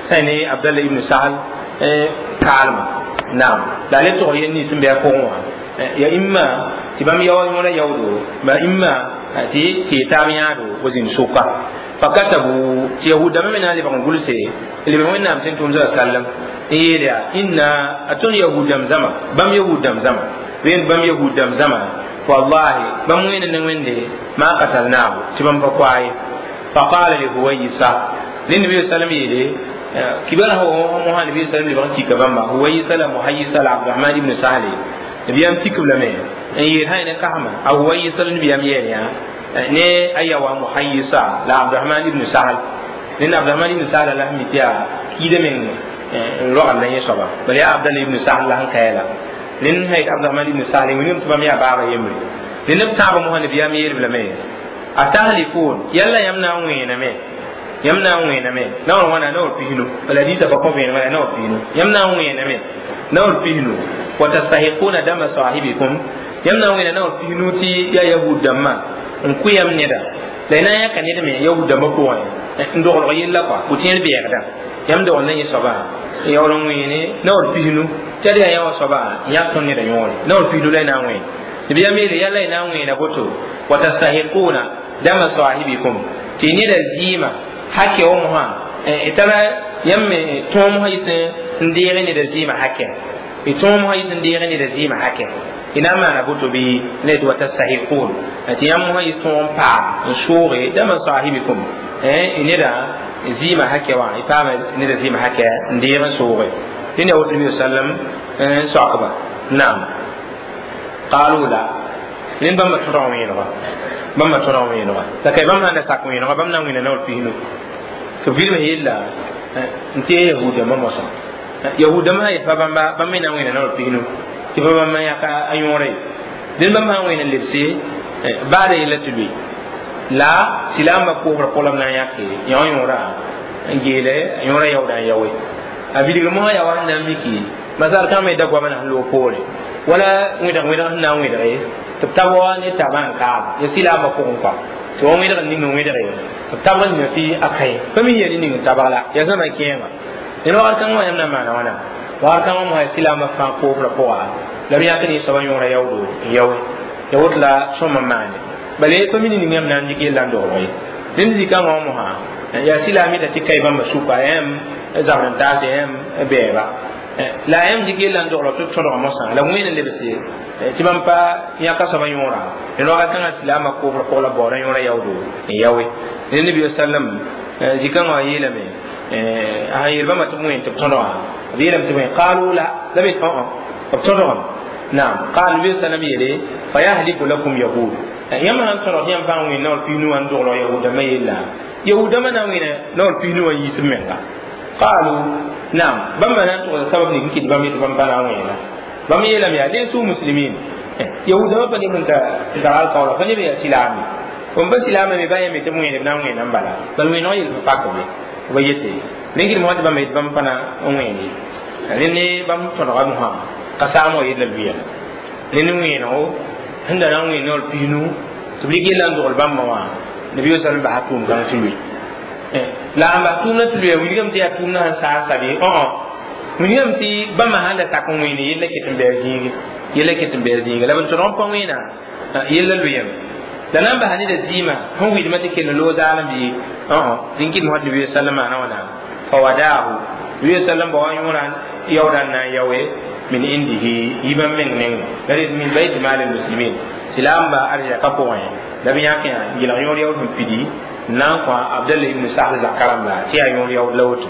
S1: sã ne Abdallah ibn Sahal kaalma naam la a le tog yel nins n bɩ a pʋgẽ wã ya imma tɩ bãmb yao yõora yaoodo ba imma tɩ tɩ taab yãado wa zĩnd sʋka fakatabu tɩ yahud dãmbã me na n lebg n gʋlse lebg Wẽnnaam tɩ n tʋm sallam n yeel yaa inna a tõnd yahud dãmb zãma bãmb yahud dãmb zãma rẽnd bãmb yahud dãmb zãma wallahi bãmb wẽnd ne Wẽnde ma qatalnahu tɩ bãmb pa koa ye faqala li Huwayisa rẽnd nabi sallam yeele kibara mosã nabi sallam lebg n tika bãmba Huwayisa la Muhayisa la Abdurahman ibn Sahle nabiyam tikb lame n yeel sã ne kasma a Huwayisa la nabiyam yeel yã ne a yawa Muhayisa la Abdurahman ibn Sahal ned Abdurahman ibn Sahal la sẽn mi tɩ yaa kiida meng n rogd la yẽ soaba bala yaa Abdallah ibn Sahal la sẽn kaya la rẽnd sã yet Abdurahman ibn Sahal wilgame tɩ bãmb yaa baaba yembre rẽnd b tãabã mosã nabiyam yeelb lame a tahlifun yalla yãmb na n wẽename yãmb na n wẽename naoor wãna naoor pisnu bala hadiisã pa kõ vẽenem wala naoor pisnu yãmb na n wẽename naoor pisnu wa tastahiquna dama sahibikum yãmb na n wẽena naoor pisnu tɩ yaa yahud dãmbã n kʋ yãmb neda la y na n yãka ned me yahud dãmbã pʋgẽ n doglg yella kɔa pʋ-tẽer bɛɛgda yãmb dogl na yẽ soaba yaool n wẽene naoor pisnu tɩ ad yaa yã wã soaba n yãk tõnd neda yõore naoor pisnu la y na n wẽen tɩ bɩ yãmb yeele yalla y na n wẽena boto wa tastahiquna dama sahibikum tɩ neda zɩɩmã hake wã mosã tara yãmb me tõog mosã yɩs n deeg neda zɩɩmã hake y tõog mosã yɩs n deeg neda zɩɩmã hake y na n maana boto bɩ ne tɩ wa tastahiqun tɩ yãmb mosã yɩs tõog n paam n sooge dama sahibikum neda zɩɩmã hake wã y paama neda zɩɩmã hake n deeg n sooge tɩ ne woto nabi sallam n soakba naam qalu la rẽnd bãmba tõdg wẽenega bãmba tõdg wẽenega la kay bãmb sãn da sak wẽenega bãmb na n wẽna naoor pisnu tɩ b vilm yella n tɩ yahud dãmbã mosã yahud dãmbã sã yet pa bãmba bãmb me na n wẽna naoor pisnu tɩ pa bãmb yãka a yõora ye dẽnd bãmb sã n wẽna lebse baada yella tɩ lʋɩ la silaambã koosrã pʋgã la b na n yãke yõ yõora n geele a yõora yaooda n yaoe a bilgr mosã yaa wa sẽn na n miki masal kãngã me da goama na sẽn loog poore wala wẽdg wẽdg sẽn na n wẽdge Tɩ b tab wa ne tabã n kaaba ya silaamã pʋgẽ kɔa tɩ wa wẽdg n ning n wẽdge tɩ b tabg n tɩ a kae pa mi yaa ne ning n tabg la yaa zãma kẽema ned wakat kãngã wã yãmb na n maana wãna wakat kãngã mosã silaamã fãa koofrã pʋga la b yãk ne soabã yõora yaoodo n yaoe ya woto la sõm n maane bala pa mi ne ning yãmb na n dɩk yella n dogl ye rẽnd zikãngã wã mosã yaa silaam yeta tɩ kae bãmba sʋka yãmb zabr n taase yãmb bɛɛba la yãmb dɩk yella n dogl tɩ b tõdga mosã la wẽen n lebse tɩ bãmb pa yãka soabã yõora ned wakat kãngã silaamã koofrã pʋg la baoodã yõora yaoodo n yaoe rẽnd nabi sallam zikãngã wã yeelame a sã yeel bãmba tɩ b wẽen tɩ b tõdgã b yeelame tɩ wẽn qaalu la la b yet b tõdgame naam qaal nabi sallam yeele fayahliku lakum yahud yãmb sãn tõdg tɩ yãmb fãa wẽn naoor piis nu wã n dogl yahudãmbã yella yahudãmbã na n wẽna naoor piis nu wã yiis b menga qaalu naam bãmba na n togsa sabab ning n kɩt bãmb yetɩ bãmb pa na n wẽena bãmb yeelame yaa lesu muslimin yahudãmbã pa neb n tar alkaoola pa neb yaa silaame bõmb pa silaame me ba yãmb tɩ b wẽene b na n wẽena n bala bal wẽeneg yel pa pak be ba yete rẽn kɩdem wã tɩ bãmb yetɩ bãmb pa na n wẽen ye rẽnd ne bãmb tõdga mosã ka saam wã yella lʋyã rẽnd wẽenego sẽn da na n wẽen naoor piis nu tɩ b rɩk yella n dogl bãmba wã nabi sallam basa tʋʋm kãng tɩ lʋɩ la n bas tʋʋmdã tɩ lʋya wilgame tɩ yaa tʋʋmdã sẽn saas sabe õ wilgame tɩ bãmba sãn da tak n wẽene yella ket n bɩ a zĩige yella ket n bɩ a zĩiga la b n tõdg n pa wẽena yella lʋyame la na n basa neda zɩɩmã sẽn wɩdmã tɩ kell n loog zaalem bɩ õ rẽn kɩdem wã tɩ nabi sallam maana wãna fawadaahu nabi sallam ba wa yõora yaoodã n na n yaoe min indihi yiibã meng neng la rɩ min bayt mal almuslimin silaamba arzaka pʋgẽ la b yãk yã n yõor yaood sẽn pidi n na n kõ abdallah ibn sahl zakã rãmba tɩ yaa yõor yaood la woto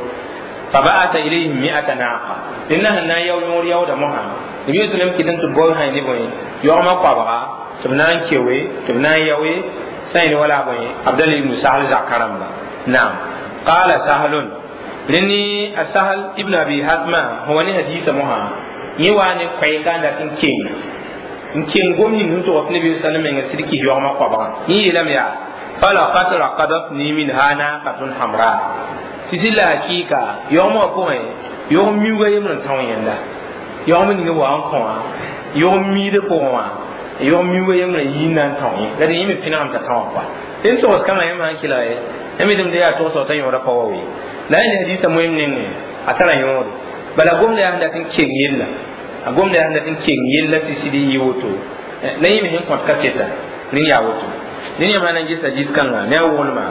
S1: فبعث إليهم مئة ناقة لأنها نا يو يور يو دمها النبي صلى الله عليه وسلم كدن تبوي هاي نبوي يوم قابها تبنان كيوي تبنان يوي سين ولا بوي عبد الله بن سهل زكرم نعم قال سهل لني السهل ابن أبي حزمة هو ني حديث مها يواني كوي كان لكن كين كين قوم نين تو النبي صلى الله عليه وسلم سيركي يوم قابها يلم يا فلقد رقدتني منها ناقة حمراء tɩ la hakɩɩka yaoogmã pʋgẽ yaoog miuugã yembr n tão yẽnda yaoog ning wa n kõ wã yaoog miidã pʋgẽ wã yaoog miuugã yembr n yii n na n tão yẽ la dẽ yẽ me pẽnegame t'a tão wã dẽn togs kãngã yãmb sãn kɩlga ye yãmb yetame tɩ yaa togsg t'a yõoda pa wa we la yẽ hadiisã moem nengẽ a tara yõode bala gomda yaa sẽn dat n keng yella a gomda yaa sẽn dat n keng yella tɩ sɩd n yɩ woto la yẽ me sẽn kõt kaseta rẽnd yaa woto dẽn yãmb sã na n ges hadiis kãnga ne a woglma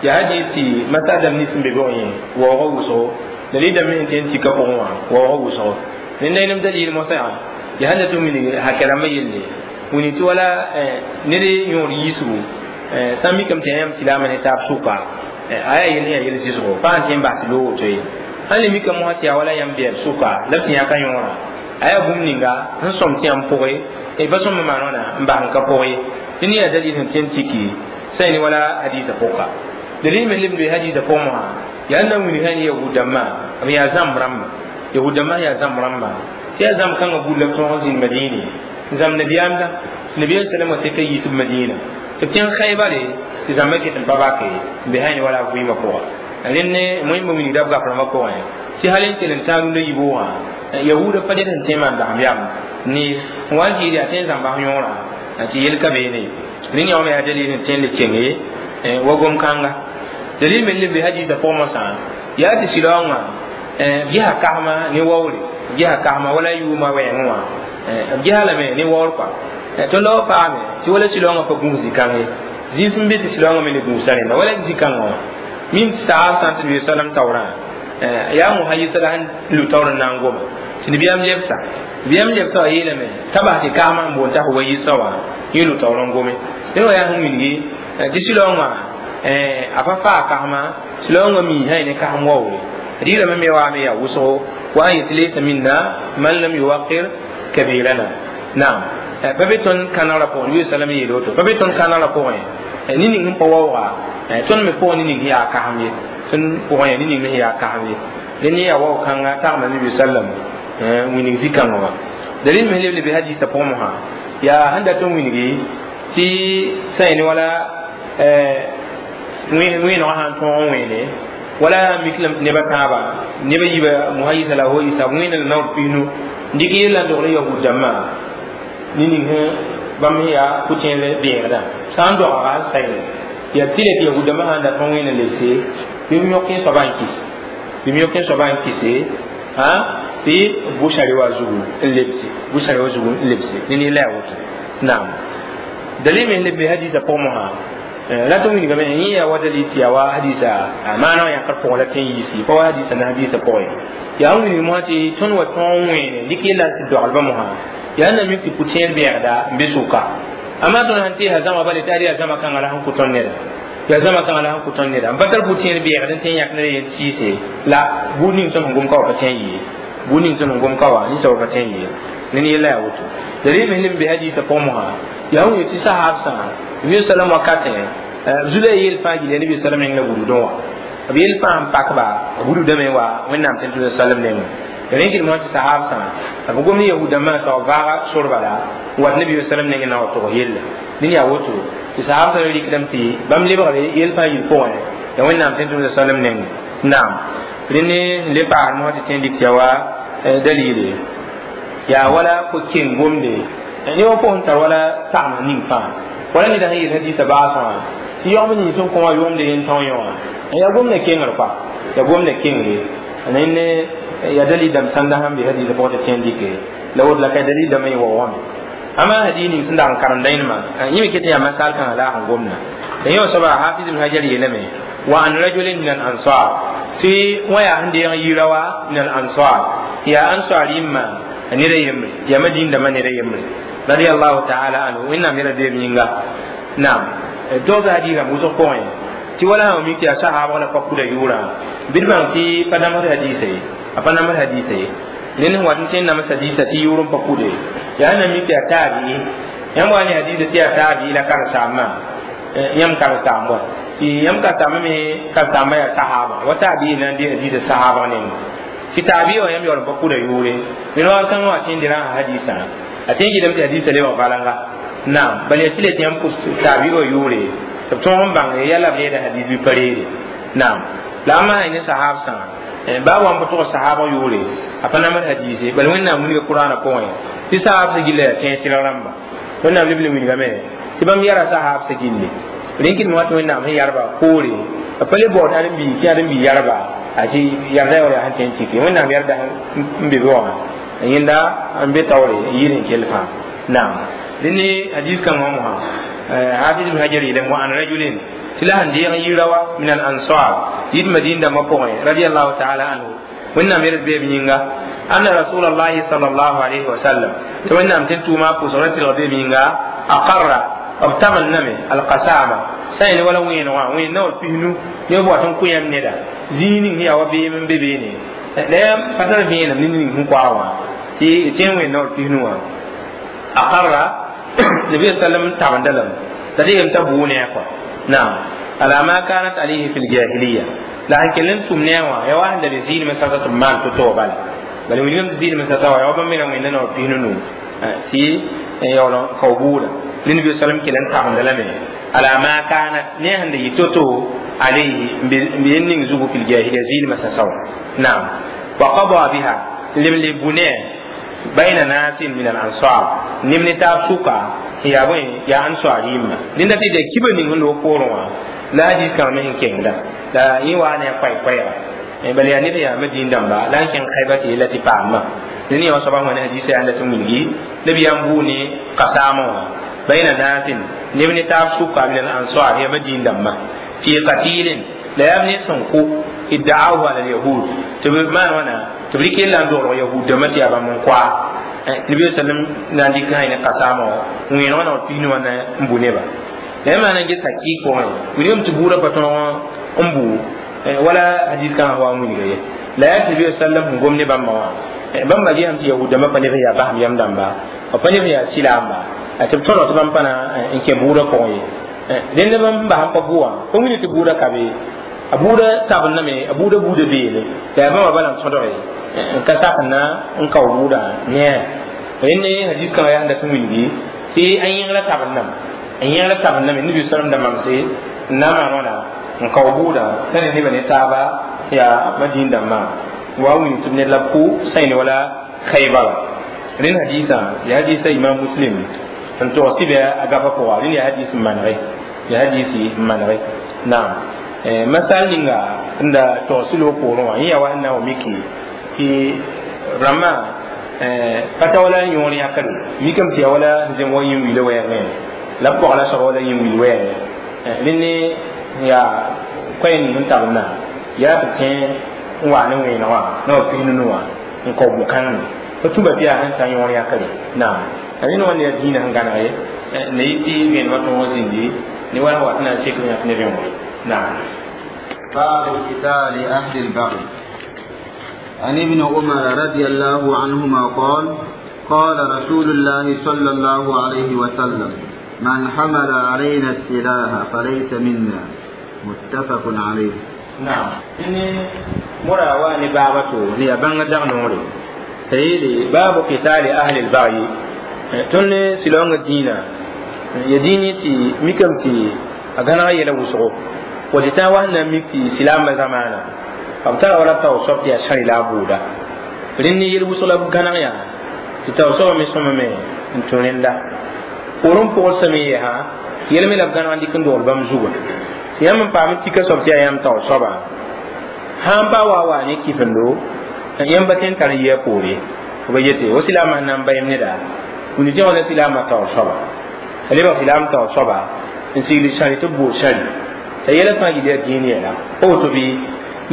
S1: ya hadisi masala ni sẽn be bɩg yẽ waoogã wʋsgo la rɩdame sẽn tɩ n tika pʋgẽ wã waoogã wʋsgo rẽnda yẽnem dalil mosã yaa ya sẽn dat n wilg hakɛ rãmbã yelle wilg tɩ wala ned yõor yiisgu sã n mikame tɩ yãmb silaamã ne taab sʋka a yaa yel sẽn yaa yel zɩsgo pa sãn tɩ n bas tɩ loog woto ye sãn le mikame mosã tɩ yaa wala yãmb bɛɛb sʋka la b tɩ yãka yõorã a yaa bũmb ninga sẽn sõm tɩ yãmb pʋgẽ pa sõm n maan wãna n bas n ka pʋgẽ ye tɩ ne yaa dalil sẽn tɩ n tiki sã ne wala hadiisã pʋka dalil me lebd be hadisa pʋgẽ wã yaa na wilg sã ne yahud-dãmbã b yaa zãmb rãmba yahud-dãmbã yaa zãmb rãmba tɩ yaa zãmb kãngã buud la b tõog n zĩnd madiine n zãmb nabiyaamda tɩ nabiyaam sallam wã seka yiisb madiina tɩ b tẽng xaybare tɩ zãmbã ket n pa bake n be sã ne wala a vɩɩmã pʋga rẽnd ne moẽmba wilgda b gap rãmbã pʋgẽ tɩ hal n kell n tãag rũndã yiboogã yahuudã pa ned sẽn tõe n maan basem yam ne n wa n zɩɩd yaa tõe n zãmba yõorã tɩ yel ka beene rẽnd yã wã me yaa dalil sẽn tõe n le kenge wa gom-kãnga dalil me leb be hadisa pʋgẽ mosã yaa tɩ sɩlaoongã b gesa kasma ne waoore b gesa kasma wala yʋʋma wɛɛngẽ wã b gesa lame ne waoor kɔa tõnd wa paame tɩ wala sɩlaoongã pa gũus zĩ-kãng ye zĩis n be tɩ sɩlaoongã me le gũusa rẽnda wala zĩ-kãngã wã min saab sã n tɩ nabi salam taoorã yaa mosã yɩsa la sẽn lu taoor n na n goma tɩ nabiyaam lebsa nabiyaam lebsa wã yeelame t'a bas tɩ kasmã n boond t'a wa yɩsa wã yẽ lu taoor n gome dẽ wã yaa sẽn wilgi tɩ sɩlaoongã a pa faa kasma sɩlaoongã mi sã ne kasem waoore rɩɩrame me waame yaa wʋsgo wa n yetɩ laysa minna man lam yuwaqir kabirana naam pa be tõnd kãnegrã pʋgẽ nabi salam yeele woto pa be tõnd kãnegrã pʋgẽ ne ning sẽn pa waooga tõnd me pʋgẽ ne ning sẽn yaa kasem ye tõnd pʋgẽ yaa ne ning sẽn yaa kasem ye dẽn ne yaa wao-kãnga tagma nabi sallam wilg zĩ-kãngã wã dalil me leb le be hadisã pʋgẽ mosã yaa sẽn dat n wilgi tɩ sã ne wala wẽenegã sãn tõog n wẽene wala mik lame tɩ nebã tãaba nebã yiibã mosã yɩsa la fo yɩsa wẽena la naoor piisnu n dɩk yella n dogl yahud dãmbã ne ning sẽn Bãmb yaa pʋ-tẽer beegdã sã n doaga n sayle yaa tɩ le tɩ yahudãmbã sãn dat n wẽnd n lebse bɩ b yõk soaba n kis bɩ b yõk soaba n kise tɩ bʋsa reoa zugu n lebse bʋsa reoa zugu n lebse ne ne la yaa woto naam dalil me le be hadisa pʋgẽ mosã la tɩ wilgame yẽ yaa wa dalil tɩ yaa wa hadisa a maana yãkr pʋgẽ la tɩ n yiisi pa wa hadisa na hadisa pʋgẽ yaa n wilg mosã tɩ tõnd wa tõog wẽene dɩk yella tɩ doglbã mosã yaa na mik tɩ pʋ-tẽer bɛɛgda n be sʋka ama tõnd sãn teesa zãma bale tɩ ad yaa zãma kãngã la sẽn kʋ tõnd neda yaa zãma kãngã la sẽn kʋ tõnd neda n pa tar pʋ-tẽer bɛɛgd n tõe n yãk ned yen sɩɩse la buud ning tõnd sẽn gom ka wa pa tõe n yee buud ning tõnd sẽn gom ka wa ninsã wa pa tõe n yee ned yella yaa woto dalil me lem be hadisa pʋgẽ mosã yaa wẽn tɩ sahab sã nabi sallam wakatẽ zula yel fãa gilli nabi sallam neng la wududẽ wã b yel fãa n pakba b wududame wa wẽnnaam tẽn tʋ sallam nengẽ rẽn kɩd mosã tɩ sahab sã b gom ne yahudãmbã sã b vaaga sor bala n wat nabi sallam nengẽ na wa tog yella dẽn yaa woto tɩ sahab sã rɩkdame tɩ bãmb lebgre yel fãa yil pʋgẽ ya wẽnnaam tẽn tʋ sallam nengẽ naam rẽnd n le paasd mosã tɩ tẽn dɩk tɩ ya wa dalile yaa wala ko-keng gomde ne wa pʋgẽ tar wala tagms ning fãa wala ned sẽn yeel hadisa baasẽ wã tɩ yaoom nins sẽn kõ wã yʋʋmde yen tõog yẽ wã yaa gomda kengr koa yaa gomda kengre ne yaa dalil dãmb sãnda sãn be hadisa pʋgẽ tɩ tẽn dɩke la woto la ka dalil dãmbã yẽ wa wame ama hadis ning sẽn dag n karemda yẽnema yẽ me ket n yaa masal kãngã la a sẽn gomda la yẽ wã soaba hafiz ibn hajar yeelame wa an rajulin min al ansar tɩ wã yaa sẽn deeg yira wa min al ansar yaa ansar yĩmma ned a yembre yaa madin dãmbã ned a yembre radiallahu taala anhu wẽnnaam yɛla beeb yĩnga naam dog hadisã wʋsg pʋgẽ tɩ wala sã mik tɩ yaa sahaabg la pa kuda yʋʋrã bɩ d bãng tɩ pa namsd hadisa ye a pa namsd hadisa ye ned sẽn wat n tõe n nams hadisa tɩ yʋʋr n pa kude yaa na mik tɩ yaa taabii yãmb wa ne hadisa tɩ yaa taabii la karen-saambã yãmb karen-saamb wa tɩ yãmb karen-saambã me karen-saambã yaa sahaaba wa taabii na n dee hadisa sahaabg nengẽ tɩ taabii wã yãmb yaool n pa kuda yʋʋre ned wa kãngã wã tõe n derã hadisã a tõe n gɩdame tɩ hadisa lebg balanga naam bal yaa tɩ le tɩ yãmb pʋs taabii wã yʋʋre tɩ b tõog n bãng yala b reeda hadis bɩ pa reede naam la a maa ne sahab sã baa wa n pa tʋg sahaabg yʋʋre a pa namd hadise bal wẽnnaam wilga kuraanã pʋgẽ tɩ sahab sã gilla yaa tẽeg tɩrg rãmba wẽnnaam leb le wilgame tɩ bãmb yara sahab sã gilli rẽn kɩdme wa tɩ wẽnnaam sẽn yarba poore b pa le baood ãdem-biig tɩ ãdem-biig yarba a tɩ yarda yaool yaa sẽn tõe n tɩke wẽnnaam yarda n be be wã yẽnda n be taoore n yɩɩd n kell fãa naam dẽnd ne hadis kãngã mosã hafiz ibn hajar yeelame wa an rajulin tɩ la sẽn deeg n yira wa min al ansar yit madin dãmbã pʋgẽ radiallahu taala anhu wẽnnaam yɛl beeb yĩnga anna rasulallahi sallallahu alayhi wa sallam tɩ wẽnnaam tẽn tʋʋma pʋsg ra tɩlg beeb yĩnga aqarra b tagendame alqasama sã yẽne wala wẽenegã wẽen naoor pisnu ne b wat n kõ yãmb neda zĩig ning sẽn yaa wa beem n be beene la yãmb pa tar vẽenem ne ning sẽn koa wã tɩ tẽn wẽen naoor pisnu wã aqarra nabi sallam tabenda lame la tɩ yem t'a bʋʋ ne a kɔa naam ala ma kanat alayhi fi ljahiliya la sẽn kell n tʋm ne a wã ya wa sẽn da be zɩɩdmẽ sasa tɩ b maan to-to bala bala wilgame tɩ zɩɩdmẽ sasa wã ya wa bãmb me ra wẽnda naoor pisnu nu tɩ yaool n kao bʋʋda la nabi sallam kell n tagenda lame ala ma kanat ne sẽn da yɩ to-to alayhi n be yen ning zugu fi ljahiliya zɩɩdmẽ sasa wã naam wa qada biha lem le bu ne bayna nasin min al ansar nim ne taab sʋka yaa bõe yaa ansar yĩmma dẽnda tɩ da kiba ning sẽn loog poorẽ wã la hadis kãng me sẽn kengda la yẽ waa ne a koɛɛ-koɛɛga bala yaa ned yaa madin dãmba la n kẽng khayba tɩ yella tɩ paamã dẽnd yã wã soaba wẽna hadisa yaa la tɩ wilgi nabiyaam bʋʋ ne kasaamã wã bayna nasin neb ne taab sʋka min al ansar yaa madin dãmba fi qatilin la yaa ne sẽn kʋ idda'ahu ala alyahud tɩ b maan wãna tɩ b rɩk yella n dogl yahud dãmbã tɩ yaa bãmb n koa nabi sallam na n dɩk sã ne kasaamã wã wẽenegã naoor pisnu wã na n bu neba la yã maana n ges hakɩɩk pʋgẽ wilgame tɩ buudã pa tõog n bu wala hadis kãngã wa n wilga ye la yaa tɩ nabi sallam sẽn gom ne bãmba wã bãmba gesame tɩ yahud dãmbã pa neb sẽn yaa basem yam dãmba b pa neb sẽn yaa silaamba tɩ b tõdg tɩ bãmb pa na n kẽ buudã pʋgẽ ye dẽnd bãmb sẽn bas n pa bʋ wã pa wilg tɩ buudã ka be a buudã tabendame a buudã buudã beene la yaa bãmba bala n tõdge n ka sak n na n kao buudã ne rẽnd hadis kãngã yaa sẽn dat n wilgi tɩ a yẽngrã tabendame n yẽgra tabendame nabi sallam da mamse n na n maan wãna n kao buudã t'a ne nebã ne taaba yaa madin dãmbã wa wilg tɩ b ned la b kʋ sãyne wala khaybara rẽnd hadisã yaa hadisa imam muslim n tog sɩbɛ a gapa pʋga rẽnd yaa hadis n manege ya hadisi n manege naam masal ninga n da tog sɩ loog poorẽ wã yẽ yaa wa sẽn na n wa miki tɩ rãmbã pa ta wala yõor yãkre mikame tɩ yaa wala zem wa yĩn wilã wɛɛngẽ la b pɔgla soaba wala yĩn wil wɛɛngẽ rẽnd ne yaa koɛɛ ning n tabendã yaa tɩ tẽ n wa ne wẽeneg wã na wa pis nunu wã n kao bʋ-kãng pa tũba tɩ yaa sẽn ta yõor yãkre naam rẽnd wã ne yaa dĩinã sẽn gãneg ye ne yɩ tɩ vẽenemã tõog zĩndi ne wala wat na n sek yãk ne vẽoore naam.
S2: باب قتال أهل البغي. عن ابن عمر رضي الله عنهما قال قال رسول الله صلى الله عليه وسلم من حمل علينا السلاح فليس منا. متفق عليه.
S1: نعم إني مرا واني بابتو هي بان دغنوري سيدي باب قتال أهل البغي توني سلون الدين يديني تي ميكم تي أغانا يلا وسغو وجتا وهنا ميكي سلام زمانا أبتر ولا توصف يا شري لا بودا رني يلبس لا غانا يا تتوصف مي سممي انتونين دا ورم بول سمي ها يلمي لا غانا دي كندول بام زوغ yãmb n paam tɩ ka soab tɩ yaa yãmb taoor soaba sãn pa wa wa ne kifendo yãmb pa tõe n tar n yɩ a poore b yete wo silaamã sẽn na n ba yem neda wũni tɩ wã la silaamã taoor soaba t'a lebg silaam taoor soaba n sigl sãri tɩ b bool sãri t'a yɛla fãa yɩl yaa dĩin yɛla pa woto bɩ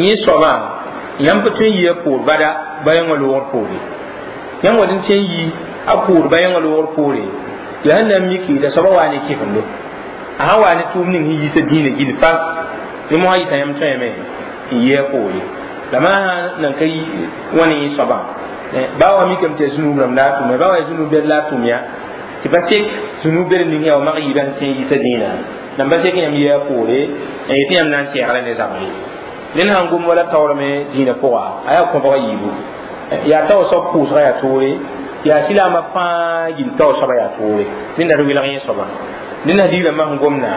S1: yẽ soabã yãmb pa tõe n yɩ a poor bada ba yãngã loogr poore yãmb wa n tõe n yi a poor ba yãngã loogr poore yaa sẽn na n miki t'a soabã waa ne kifendo a sã wa ne tʋʋm ning sẽn yiisa dĩinã gill fas ne mosã yɩta yãmb tõeme n yɩ a poore la maa sã nan ka wã ne yẽ soabã baa wa mikame tɩ yaa zũnub rãmb la a tʋm baa wa yaa zũnub bɛd la a tʋm ya tɩ pa sek zũnub bɛd ning yaa wa mag yiibã sẽn tõe n yiisa dĩinã nan pa sek yãmb yɩ a poore n yetɩ yãmb na n sɛɛgla ne zabre ned sãn gom wala taoorame dĩinã pʋga a yaa kõbga yiibu yaa taoor soab pʋʋsga yaa toore yaa silaamã fãa gill taoor soabã yaa toore ned la d welg yẽ soabã ned na digrã masẽn gomda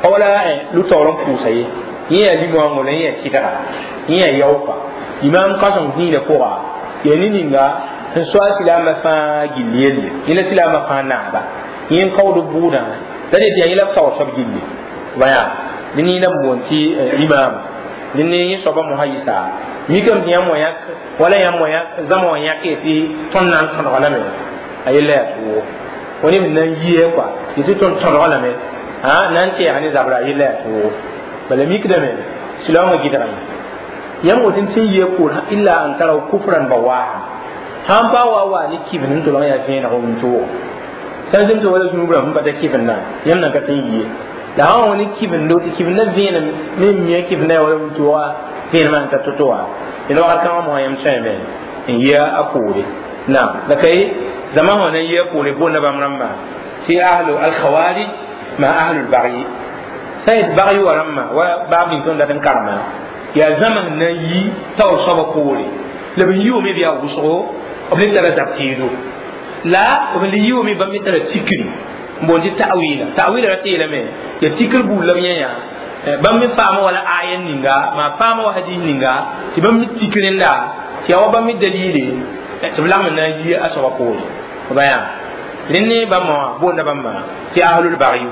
S1: pa wala lu-taoor n pʋʋsa ye yẽ yaa limoangõ la yẽ yaa kɩdga yẽ yaa yaopa limam kãseng dĩinã pʋga yaa ne ninga sẽn soa silaamã fãa gill yelle yẽ la silaamã fãa naaba yẽ n kaood bʋʋdã la det yaa yẽ la b taoor soab gilli baya dẽ ne la n boond tɩ limam dẽ ne yẽ soabã mosã yɩsa mikame tɩ yãmb wã yãk wala yãmb wã yãk zãma wã yãk tɩ tõnd na n tõdga lame a yella yaa toogo fo neb na n yie kɔa tɩ tɩ tõnd tõdga lame a na n tɛɛg ne zabra a yella yaa toogo bala mikdame silaoongã gɩdgame yãmb woto n tɩ n yia poor illa an taraw kufran bawaaha sãn pa wa wa ne kibn n tʋlg yaa vẽeneg wĩntoogo sã n zemsa wala zũnub rãmb sẽn pa ta kibndã yãmb nan ka tõe n yie la sã wa ne kibndo tɩ kibndã vẽenem me n mia kibndã yaa wala wĩntooga vẽenemã sẽn ta to-to wã d wakat kãngã mosã yãmb tõeme n yia a poore naam la ka ye zama wã na n yia poore boonda bãmb rãmbã tɩ ahlu alkhawarij ma ahlu lbagyi sã yet bagyi wa rãmbã wa baab ning tõnd dat n karema yaa zãma sẽn na n yi taoor soabã poore la b yiime b yaa wʋsgo b le tara zab tɩɩdo la b le yiime bãmb me tara tikri n boond tɩ ta'wila ta'wila ra tɩ yeelame yaa tikr buud la b yẽ yaa bãmb me faama wala aya ninga maa faama wa hadis ninga tɩ bãmb me tik rẽnda tɩ yaa wa bãmb me dalile tɩ b lagm na n yi a soaba poore ba yaa rẽnd ne bãmba wã boonda bãmba tɩ ahlul bagyu